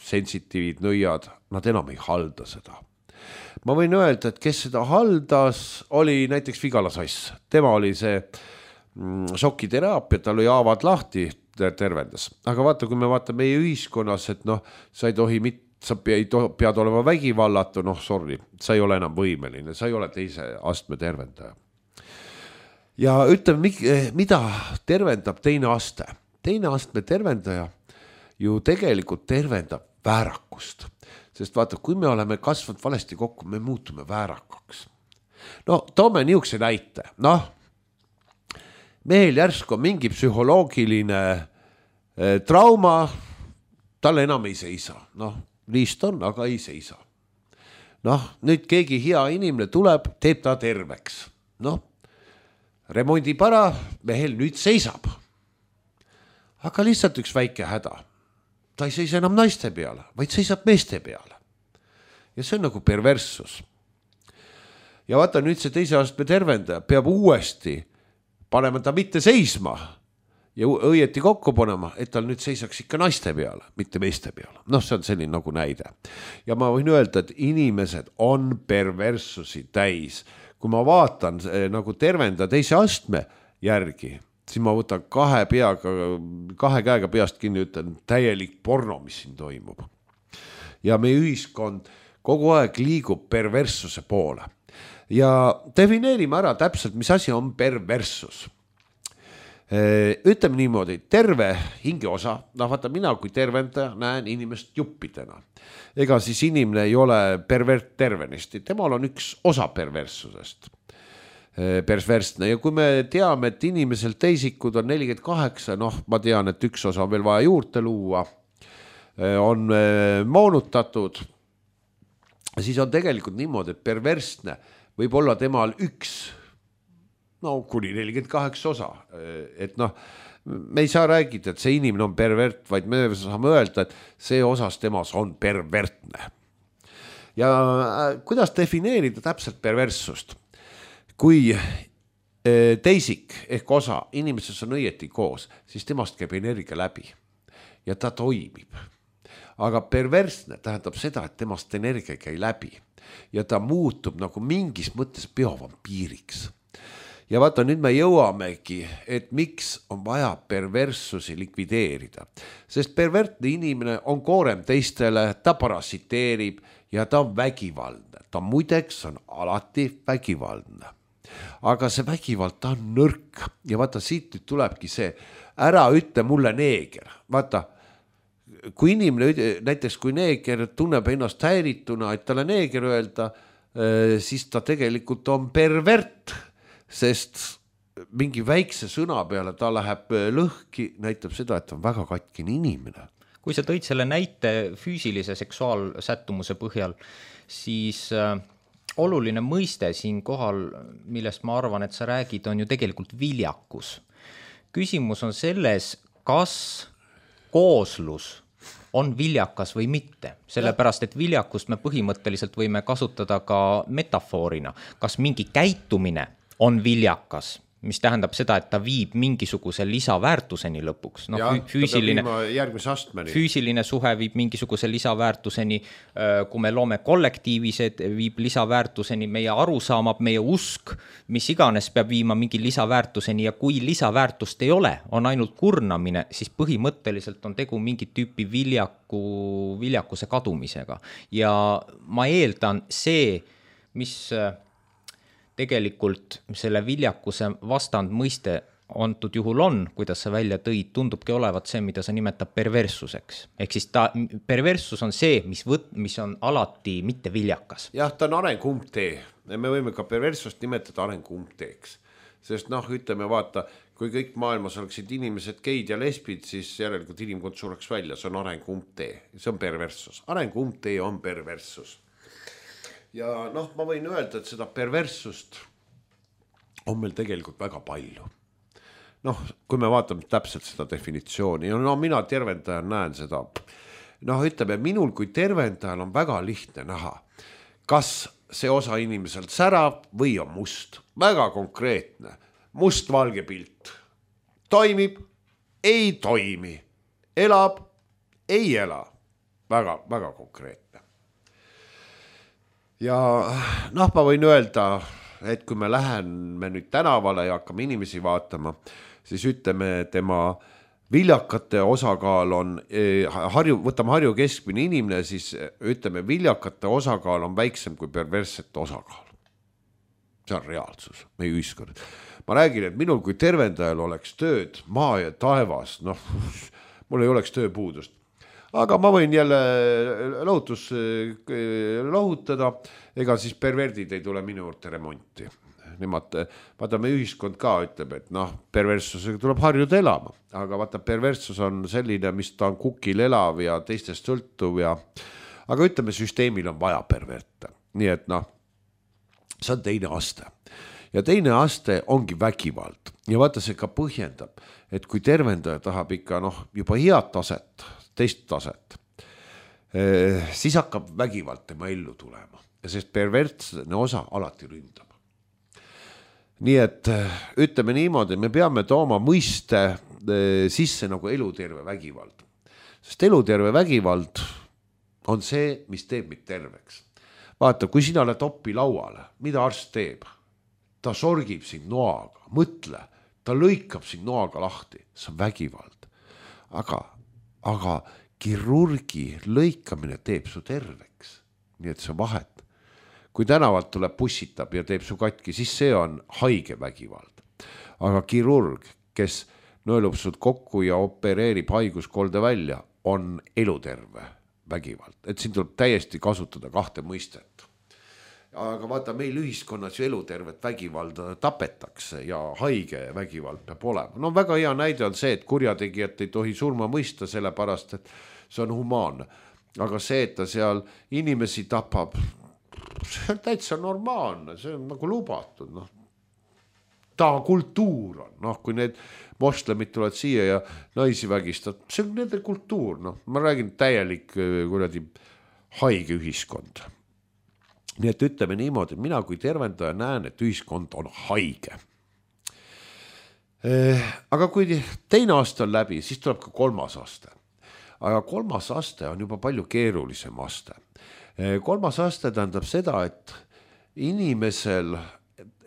sensitiivid nõiad, nad enam ei halda seda. Ma võin öelda, et kes seda haldas, oli näiteks Vigala Sass. Tema oli see šokiteraapia, tal oli haavad lahti, tervendas. Aga vaata, kui me vaatame meie ühiskonnas, et sa ei tohi sa pead olema vägivallatu, sorry, sa ei ole enam võimeline, sa ei ole teise astme tervendaja. Ja ütleme, mida tervendab teine aste? Teine astme tervendaja ju tegelikult tervendab väärakust. Sest vaata, kui me oleme kasvanud valesti kokku, me muutume väärakaks. Toome niisuguse näite. Mehel järsku on mingi psühholoogiline trauma, talle enam ei seisa. Liist on, aga ei seisa. Nüüd keegi hea inimene tuleb, teeb ta terveks. Remondib ära, mehel nüüd seisab. Aga lihtsalt üks väike häda. Ta ei seisa enam naiste peale, vaid seisab meeste peale. Ja see on nagu perverssus. Ja vaata, nüüd see teise astme tervendaja peab uuesti panema ta mitte seisma ja õieti kokku panema, et tal nüüd seisaks ikka naiste peale, mitte meeste peale. See on selline nagu näide. Ja ma võin öelda, et inimesed on perverssusi täis. Kui ma vaatan nagu tervenda teise astme järgi, siis ma võtan kahe käega peast kinni, ütlen täielik porno, mis siin toimub. Ja meie ühiskond kogu aeg liigub perverssuse poole. Ja defineerime ära täpselt, mis asi on perverssus. Ütleme niimoodi, terve hingeosa, vaata mina kui tervendaja näen inimest juppidena. Ega siis inimene ei ole pervert tervenisti, temal on üks osa perverssusest. Perversne. Ja kui me teame, et inimesel teisikud on 48, ma tean, et üks osa on veel vaja juurde luua, on moonutatud, siis on tegelikult niimoodi, et perversne võib olla temal üks, kuni 48 osa. Et me ei saa räägida, et see inimene on pervert, vaid me saame öelda, et see osas temas on pervertne. Ja kuidas defineerida täpselt perverssust? Kui teisik ehk osa inimeses on õieti koos, siis temast käib energia läbi ja ta toimib. aga perversne tähendab seda, et temast energia ei käi läbi ja ta muutub nagu mingis mõttes biovampiiriks. Ja vaata, nüüd me jõuamegi, et miks on vaja perverssusi likvideerida, sest pervertne inimene on koorem teistele, ta parasiteerib ja ta on vägivaldne. Ta muideks on alati vägivaldne. Aga see vägivald, ta on nõrk ja vaata, siit nüüd tulebki see, ära ütle mulle neeger. Vaata, kui inimene, näiteks kui neeger tunneb ennast häirituna, et talle neeger öelda, siis ta tegelikult on pervert, sest mingi väikse sõna peale ta läheb lõhki, näitab seda, et on väga katkine inimene. Kui sa tõid selle näite füüsilise seksuaalsättumuse põhjal, siis oluline mõiste siin kohal, millest ma arvan, et sa räägid, on ju tegelikult viljakus. Küsimus on selles, kas kooslus on viljakas või mitte, sellepärast et viljakust me põhimõtteliselt võime kasutada ka metafoorina, kas mingi käitumine on viljakas, mis tähendab seda, et ta viib mingisuguse lisaväärtuseni lõpuks. No, füüsiline suhe viib mingisuguse lisaväärtuseni, kui me loome kollektiivised, viib lisaväärtuseni, meie arusaamab, meie usk, mis iganes peab viima mingi lisaväärtuseni ja kui lisaväärtust ei ole, on ainult kurnamine, siis põhimõtteliselt on tegu mingi tüüpi viljakuse kadumisega. Ja ma eeldan see, mis tegelikult selle viljakuse vastand mõiste antud juhul on, kuidas sa välja tõid, tundubki olevat see, mida sa nimetab perverssuseks. Ehk siis perverssus on see, mis on alati mitte viljakas. Jah, ta on arenguumptee. Me võime ka perverssust nimetada arenguumpteeks. Sest ütleme, vaata, kui kõik maailmas oleksid inimesed geid ja lesbid, siis järelikult inimkond sureks välja. See on arenguumptee. See on perverssus. Arenguumptee on perverssus. Ja ma võin öelda, et seda perverssust on meil tegelikult väga palju. Kui me vaatame täpselt seda definitsiooni, mina tervendajan näen seda. Ütleme, minul kui tervendajal on väga lihtne näha, kas see osa inimeselt särab või on must. Väga konkreetne. Must-valge pilt. Toimib, ei toimi. Elab, ei ela. Väga, väga konkreetne. Ja ma võin öelda, et kui me läheme nüüd tänavale ja hakkame inimesi vaatama, siis ütleme, tema viljakate osakaal on, võtame Harju keskmine inimene, siis ütleme, viljakate osakaal on väiksem kui perverssete osakaal. See on reaalsus, meie ühiskond. Ma räägin, et minul kui tervendajal oleks tööd maa ja taevas, mul ei oleks tööpuudust. Aga ma võin jälle lohutada, ega siis perverdid ei tule minu juurde remonti. Nemad, vaata, me ühiskond ka ütleb, et perverssusega tuleb harjuda elama, aga vaata, perverssus on selline, mis ta on kukil elav ja teistest sõltuv aga ütleme, süsteemil on vaja perverte. Nii et see on teine aste. Ja teine aste ongi vägivald. Ja vaata, see ka põhjendab, et kui tervendaja tahab ikka juba head taset, teist taset, siis hakkab vägivald tema ellu tulema, sest pervertsne osa alati ründab. Nii et ütleme niimoodi, me peame tooma mõiste sisse nagu eluterve vägivald, sest eluterve vägivald on see, mis teeb meid terveks. Vaata, kui sina oled oppi lauale, mida arst teeb? Ta sorgib sind noaga, mõtle, ta lõikab sind noaga lahti, see on vägivald. Aga kirurgi lõikamine teeb su terveks. Nii et see vahet. Kui tänavalt tuleb bussitab ja teeb su katki, siis see on haige vägivald. Aga kirurg, kes nõelub sud kokku ja opereerib haiguskolde välja, on eluterve vägivald. Et siin tuleb täiesti kasutada kahte mõistet. Aga vaata, meil ühiskonnas ju elutervet vägivalda tapetakse ja haige vägivald peab olema. Väga hea näide on see, et kurjategijat ei tohi surma mõista, sellepärast, et see on humaanne. Aga see, et ta seal inimesi tapab, see on täitsa normaalne, see on nagu lubatud. Ta kultuur on, kui need moslemid tulevad siia ja naisi vägistavad, see on nende kultuur. Ma räägin täielik haige ühiskond. Nii et ütleme niimoodi, mina kui tervendaja näen, et ühiskond on haige. Aga kui teine aasta on läbi, siis tuleb ka kolmas aasta. aga 3. aste on juba palju keerulisem aste. 3. aste tähendab seda, et inimesel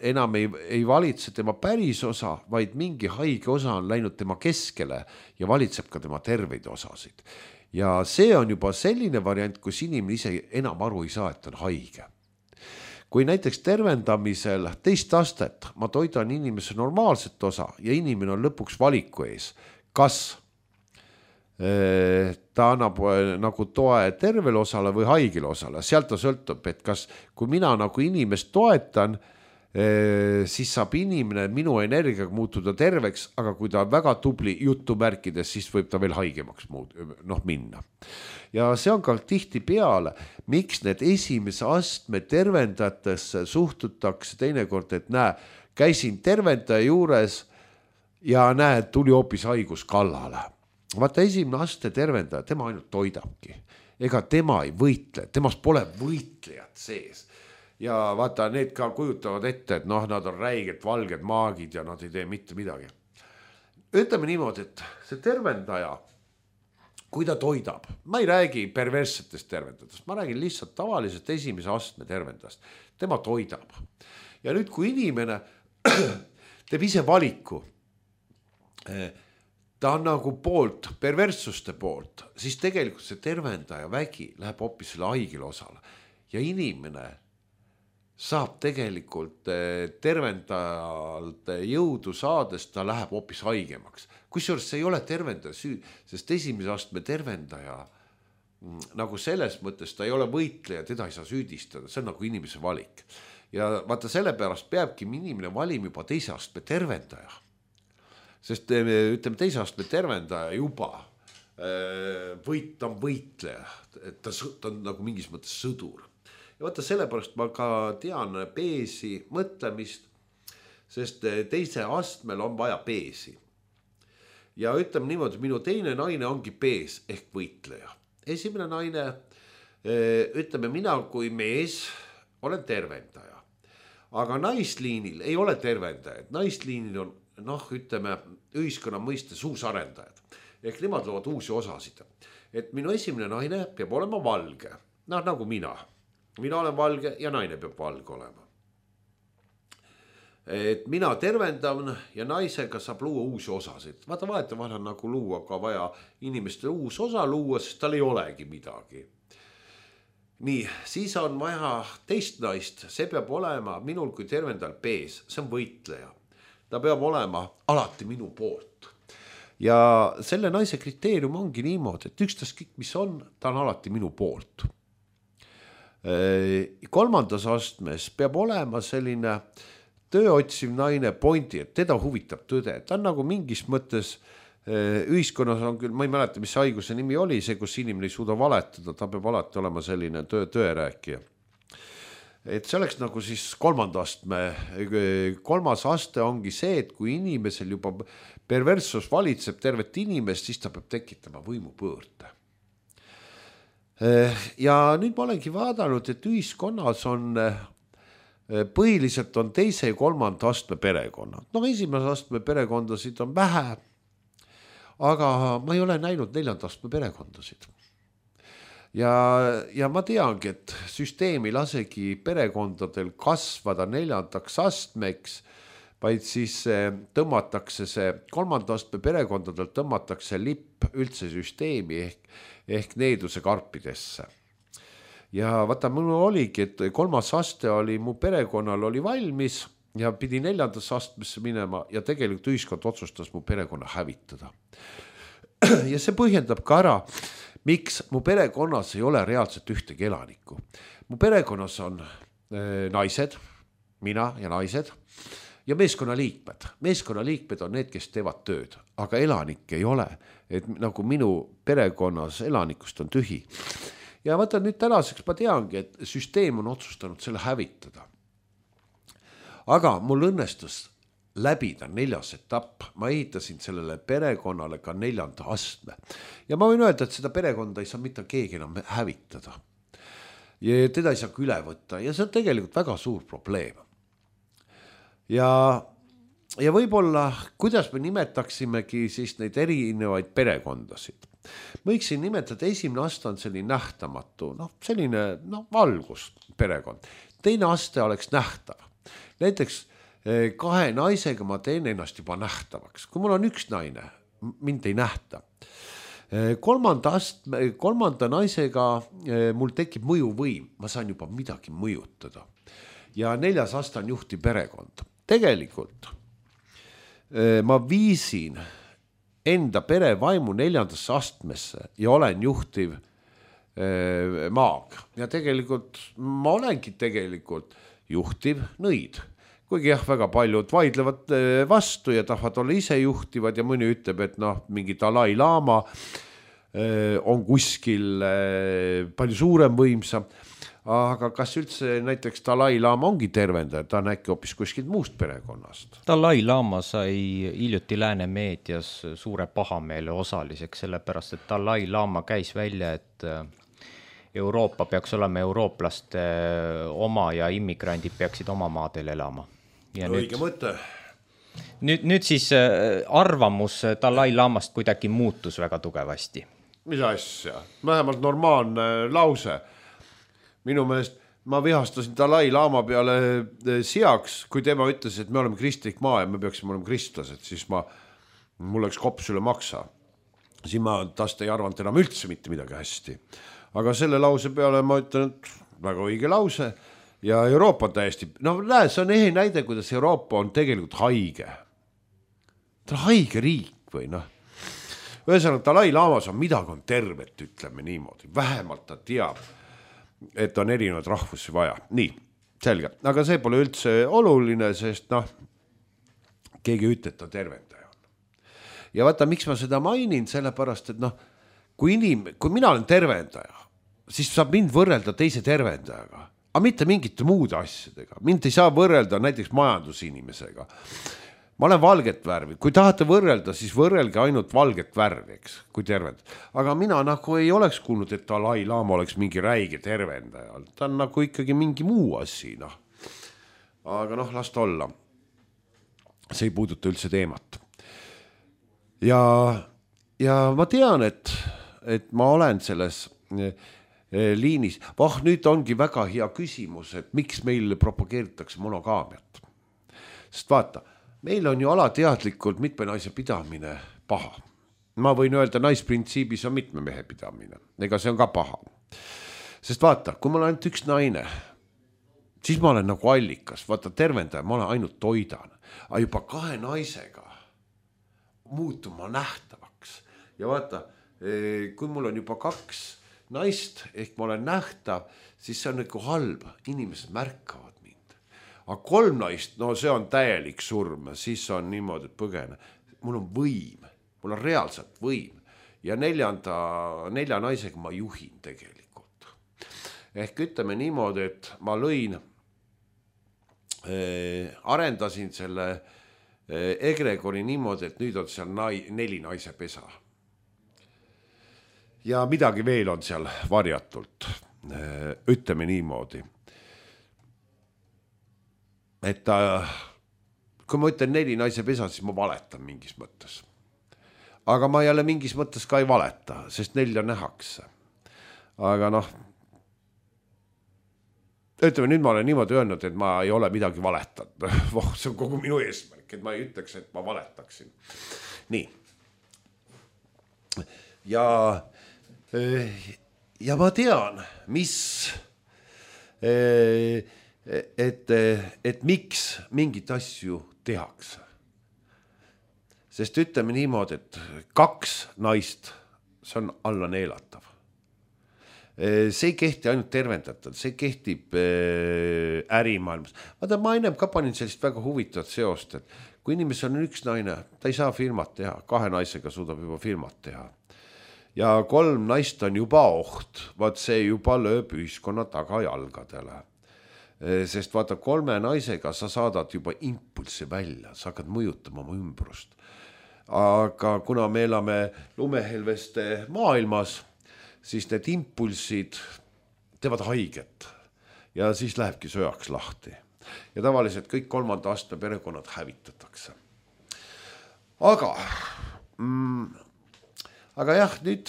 enam ei valitse tema päris osa, vaid mingi haige osa on läinud tema keskele ja valitseb ka tema terveid osasid. Ja see on juba selline variant, kus inimene ise enam aru ei saa, et on haige. Kui näiteks tervendamisel 2. astet ma toidan inimese normaalset osa ja inimene on lõpuks valiku ees, kas ta annab nagu toe tervele osale või haigele osale, sealt ta sõltub, et kas, kui mina nagu inimest toetan, siis saab inimene minu energiaga muutuda terveks, aga kui ta on väga tubli jutumärkides, siis võib ta veel haigemaks minna. Ja see on ka tihti peale, miks need esimese astme tervendajatesse suhtutakse teinekord, et näe, käisin tervendaja juures ja näe, tuli hoopis haigus kallale. Vaata, esimene aste tervendaja, tema ainult toidabki. Ega tema ei võitle, temas pole võitlejad sees. Ja vaata, need ka kujutavad ette, et nad on räiged valged maagid ja nad ei tee mitte midagi. Ütleme niimoodi, et see tervendaja, kui ta toidab, ma ei räägi perverssetest tervendajatest, ma räägin lihtsalt tavalisest esimese astme tervendajast. Tema toidab. Ja nüüd, kui inimene teeb ise valiku, ta on nagu poolt, perverssuste poolt, siis tegelikult see tervendaja vägi läheb hoopis selle haigele osale. Ja inimene saab tegelikult tervendajalt jõudu saades, ta läheb hoopis haigemaks. Kusjuures see ei ole tervendaja süü, sest esimese astme tervendaja nagu selles mõttes ta ei ole võitleja, teda ei saa süüdistada, see on nagu inimese valik. Ja vaata, sellepärast peabki inimene valima juba 2. astme tervendaja. Sest ütleme, 2. astme tervendaja juba ta on võitleja, ta on nagu mingis mõttes sõdur. Ja vaata, sellepärast ma ka tean peesi mõtlemist, sest 2. astmel on vaja peesi. Ja ütleme niimoodi, minu teine naine ongi pees ehk võitleja. Esimene naine, ütleme mina kui mees olen tervendaja, aga naisliinil ei ole tervendajad. Naisliinil on, ütleme, ühiskonna mõistes uusarendajad. Ehk nemad loovad uusi osasid. Et minu esimene naine peab olema valge, nagu mina. Mina olen valge ja naine peab valge olema. Et mina tervendan ja naisega saab luua uusi osasid. Vaata, vahetevahel on nagu luua ka vaja inimeste uus osa luua, sest tal ei olegi midagi. Nii, siis on vaja 2. naist, see peab olema minul kui tervendajal pees, see on võitleja. Ta peab olema alati minu poolt. Ja selle naise kriteerium ongi niimoodi, et ükstaskõik mis on, ta on alati minu poolt. 3. astmes peab olema selline tööotsiv naine pointi, et teda huvitab tõde. Ta on nagu mingis mõttes ühiskonnas on küll, ma ei mäleta, mis haiguse nimi oli, see, kus inimene ei suuda valetada, ta peab alati olema selline tõerääkija. Et see oleks nagu siis 3. astme. 3. aste ongi see, et kui inimesel juba perverssus valitseb tervet inimest, siis ta peab tekitama võimupöörde. Ja nüüd ma olengi vaadanud, et ühiskonnas on põhiliselt on 2. ja 3. astme perekonnad. Esimese astme perekondasid on vähe, aga ma ei ole näinud 4. astme perekondasid. Ja ma teangi, et süsteem ei lasegi perekondadel kasvada 4. astmeks, vaid siis tõmmatakse see 3. astme perekondadel tõmmatakse lipp üldse süsteemi ehk needuse karpidesse. Ja vaata, mul oligi, et 3. aste oli, mu perekonnal oli valmis ja pidi 4. astmesse minema ja tegelikult ühiskond otsustas mu perekonna hävitada. Ja see põhjendab ka ära, miks mu perekonnas ei ole reaalselt ühtegi elanikku. Mu perekonnas on naised, mina ja naised ja meeskonnaliikmed. Meeskonnaliikmed on need, kes teevad tööd, aga elanikke ei ole. Et nagu minu perekonnas elanikust on tühi. Ja vaata, nüüd tänaseks ma teangi, et süsteem on otsustanud selle hävitada. Aga mul õnnestus läbida 4. etapp. Ma ehitasin sellele perekonnale ka 4. astme. Ja ma võin öelda, et seda perekonda ei saa mitte keegi enam hävitada. Ja teda ei saa üle võtta ja see on tegelikult väga suur probleem. Ja ja võib-olla, kuidas me nimetaksimegi siis neid erinevaid perekondasid. Võiksin nimetada, esimene aste on selline nähtamatu, selline valgus perekond. Teine aste oleks nähtav. Näiteks 2 naisega ma teen ennast juba nähtavaks. Kui mul on 1 naine, mind ei nähta. 3. naisega mul tekib mõjuvõim, ma saan juba midagi mõjutada. Ja 4. aste on juhtiv perekond. Tegelikult ma viisin enda pere vaimu 4. astmesse ja olen juhtiv maag. Ja tegelikult ma olengi tegelikult juhtiv nõid. Kuigi jah, väga paljud vaidlevad vastu ja tahavad olla ise juhtivad ja mõni ütleb, et mingi Dalai Lama on kuskil palju suurem võimsam. Aga kas üldse näiteks Dalai Lama ongi tervendaja, ta on äkki hoopis kuskilt muust perekonnast? Dalai Lama sai hiljuti lääne meedias suure pahameele osaliseks, sellepärast et Dalai Lama käis välja, et Euroopa peaks olema eurooplaste oma ja immigrandid peaksid oma maadel elama. Ja õige mõte. Nüüd siis arvamus Dalai Lamast kuidagi muutus väga tugevasti. Mis asja? Vähemalt normaalne lause. Minu meelest ma vihastasin Dalai Lama peale seaks, kui tema ütles, et me oleme kristlik maa ja me peaksime olema kristlased, siis mul läks kops üle maksa. Siin ma tast ei arvanud enam üldse mitte midagi hästi. Aga selle lause peale ma ütlen, et väga õige lause ja Euroopa on täiesti, näe, see on ehe näide, kuidas Euroopa on tegelikult haige. Ta on haige riik või Ühesõnaga, Dalai Lamas on midagi on tervet, ütleme niimoodi. Vähemalt ta teab, et on erinevad rahvusi vaja. Nii, selge. Aga see pole üldse oluline, sest keegi ütleb, et ta tervendaja on. Ja vaata, miks ma seda mainin, sellepärast, et kui mina olen tervendaja, siis saab mind võrrelda teise tervendajaga, aga mitte mingite muude asjadega. Mind ei saa võrrelda näiteks majandusinimesega. Ma olen valget värvi. Kui tahate võrrelda, siis võrrelge ainult valget värvi, eks, kui tervend. Aga mina ei oleks kuulnud, et Dalai Lama oleks mingi räige tervendaja. Ta on ikkagi mingi muu asi. Aga las ta olla. See ei puuduta üldse teemat. Ja ma tean, et ma olen selles liinis. Nüüd ongi väga hea küsimus, et miks meil propageeritakse monogaamiat. Sest vaata, meil on ju alateadlikult mitme naise pidamine paha. Ma võin öelda, naisprintsiibis on mitme mehe pidamine. Ega see on ka paha. Sest vaata, kui ma olen ainult 1 naine, siis ma olen nagu allikas. Vaata, tervendaja, ma olen ainult toidan. Aga juba 2 naisega muutuma nähtavaks. Ja vaata, kui mul on juba 2 naist, ehk ma olen nähtav, siis see on nagu halb. Inimesed märkavad. Aga 3 naist, see on täielik surm, siis on niimoodi, et põgene. Mul on võim, mul on reaalselt võim ja 4 naisega ma juhin tegelikult. Ehk ütleme niimoodi, et ma arendasin selle egregori niimoodi, et nüüd on seal 4 naise pesa. Ja midagi veel on seal varjatult, ütleme niimoodi. Et kui ma ütlen 4 naise pesa, siis ma valetan mingis mõttes. Aga ma jälle mingis mõttes ka ei valeta, sest 4 nähakse. Aga ütleme, nüüd ma olen niimoodi öelnud, et ma ei ole midagi valetanud. See on kogu minu eesmärk, et ma ei ütleks, et ma valetaksin. Nii. Ja ma tean, mis et miks mingit asju tehakse. Sest ütleme niimoodi, et 2 naist, see on alla neelatav. See ei kehti ainult tervendatud, see kehtib ärimaailmas. Vaata, ma ennem ka panin sellist väga huvitavat seost, et kui inimesel on 1 naine, ta ei saa firmat teha, 2 naisega suudab juba firmat teha. Ja 3 naist on juba oht, vaat see juba lööb ühiskonna tagajalgadele. Sest vaata, 3 naisega sa saadad juba impulsi välja, sa hakkad mõjutama oma ümbrust. Aga kuna me elame lumehelveste maailmas, siis need impulsid teevad haiget ja siis lähebki sööjaks lahti. Ja tavaliselt kõik 3. astme perekonnad hävitatakse. aga jah, nüüd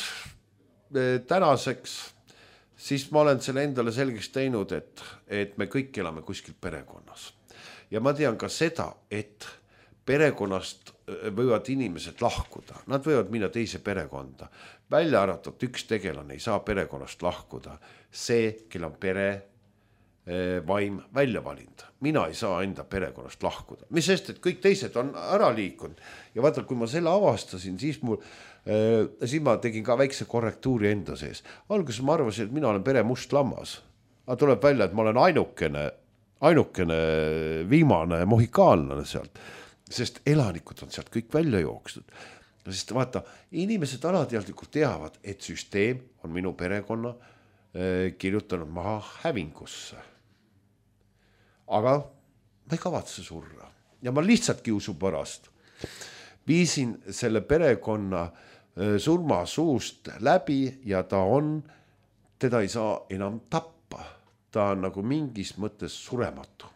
tänaseks siis ma olen selle endale selgeks teinud, et me kõik elame kuskil perekonnas. Ja ma tean ka seda, et perekonnast võivad inimesed lahkuda, nad võivad minna teise perekonda. Välja arvatud üks tegelane ei saa perekonnast lahkuda. See, kel on pere vaim välja valinud. Mina ei saa enda perekonnast lahkuda. Mis sest, et kõik teised on ära liikunud. Ja vaata, kui ma selle avastasin, siis ma tegin ka väikse korrektuuri enda sees. Alguses ma arvasin, et mina olen pere must lammas. Aga tuleb välja, et ma olen ainukene viimane mohikaanlane sealt. Sest elanikud on sealt kõik välja jooksnud. Sest vaata, inimesed alateadlikult teavad, et süsteem on minu perekonna kirjutanud maha hävingusse. Aga ma ei kavatse surra. Ja ma lihtsalt kiusu pärast viisin selle perekonna surma suust läbi ja teda ei saa enam tappa. Ta on nagu mingis mõttes surematu.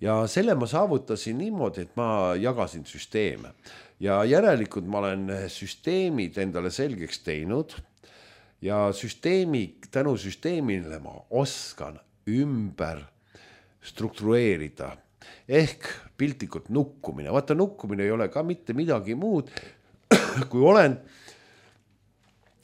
Ja selle ma saavutasin niimoodi, et ma jagasin süsteeme. Ja järelikult ma olen süsteemid endale selgeks teinud ja tänu süsteemile ma oskan ümber struktureerida. Ehk piltlikult nukkumine. Vaata, nukkumine ei ole ka mitte midagi muud, kui olen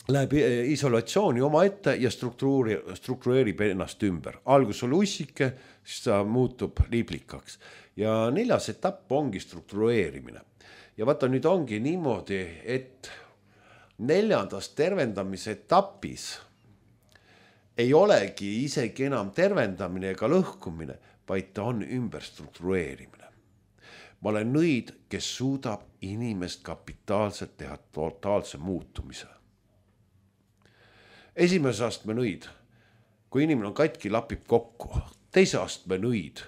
läheb isolatsiooni oma ette ja struktureerib ennast ümber. Algus oli ussike, siis ta muutub liiblikaks. Ja 4. etapp ongi struktureerimine. Ja vaata, nüüd ongi niimoodi, et 4. tervendamise etapis ei olegi isegi enam tervendamine ega lõhkumine, vaid ta on ümber struktureerimine. Ma olen nõid, kes suudab inimest kapitaalselt teha totaalse muutumise. Esimese astme nõid, kui inimene on katki, lapib kokku. 2. astme nõid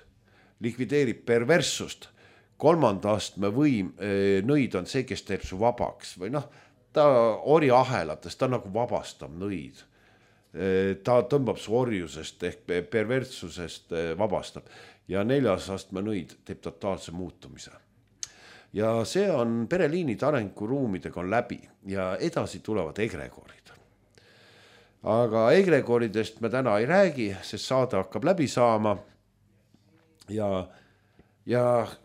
likvideerib perverssust. 3. astme nõid on see, kes teeb su vabaks. Või ta ori ahelates, ta nagu vabastab nõid. Ta tõmbab su orjusest ehk perverssusest vabastab. Ja 4. astme nõid teeb totaalse muutumise. Ja see on pereliinide arenguruumidega on läbi ja edasi tulevad egregorid. Aga egregoridest me täna ei räägi, sest saade hakkab läbi saama. Ja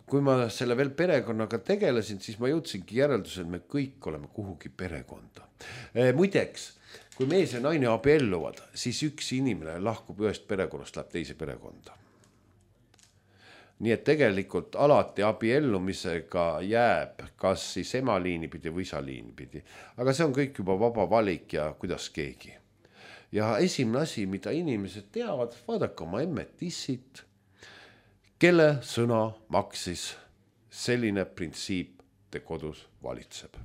kui ma selle veel perekonnaga tegelesin, siis ma jõudsingi järeldusel, et me kõik oleme kuhugi perekonda. Muideks, kui mees ja naine abielluvad, siis üks inimene lahkub ühest perekonnast, läheb teise perekonda. Nii et tegelikult alati abiellumisega jääb kas siis ema liini pidi või isa liini pidi. Aga see on kõik juba vaba valik ja kuidas keegi. Ja esimene asi, mida inimesed teavad, vaadake oma emmetissit, kelle sõna maksis selline printsiip te kodus valitseb.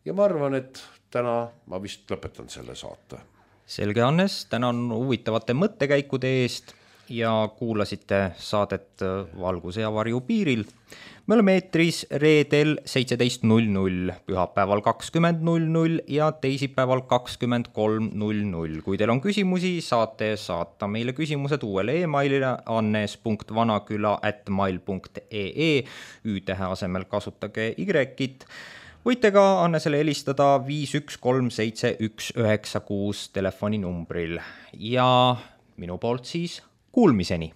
Ja ma arvan, et täna ma vist lõpetan selle saate. Selge, Hannes, tänan huvitavate mõttekäikude eest ja kuulasite saadet Valguse ja varju piiril. Me oleme eetris reedel 17.00, pühapäeval 20.00 ja teisipäeval 23.00. Kui teil on küsimusi, saate saata meile küsimused uuele e-mailile annes.vanaküla@mail.ee. Ü-tähe asemel kasutage Y-it. Võite ka Annesele helistada 5137196 telefoninumbril ja minu poolt siis kuulmiseni.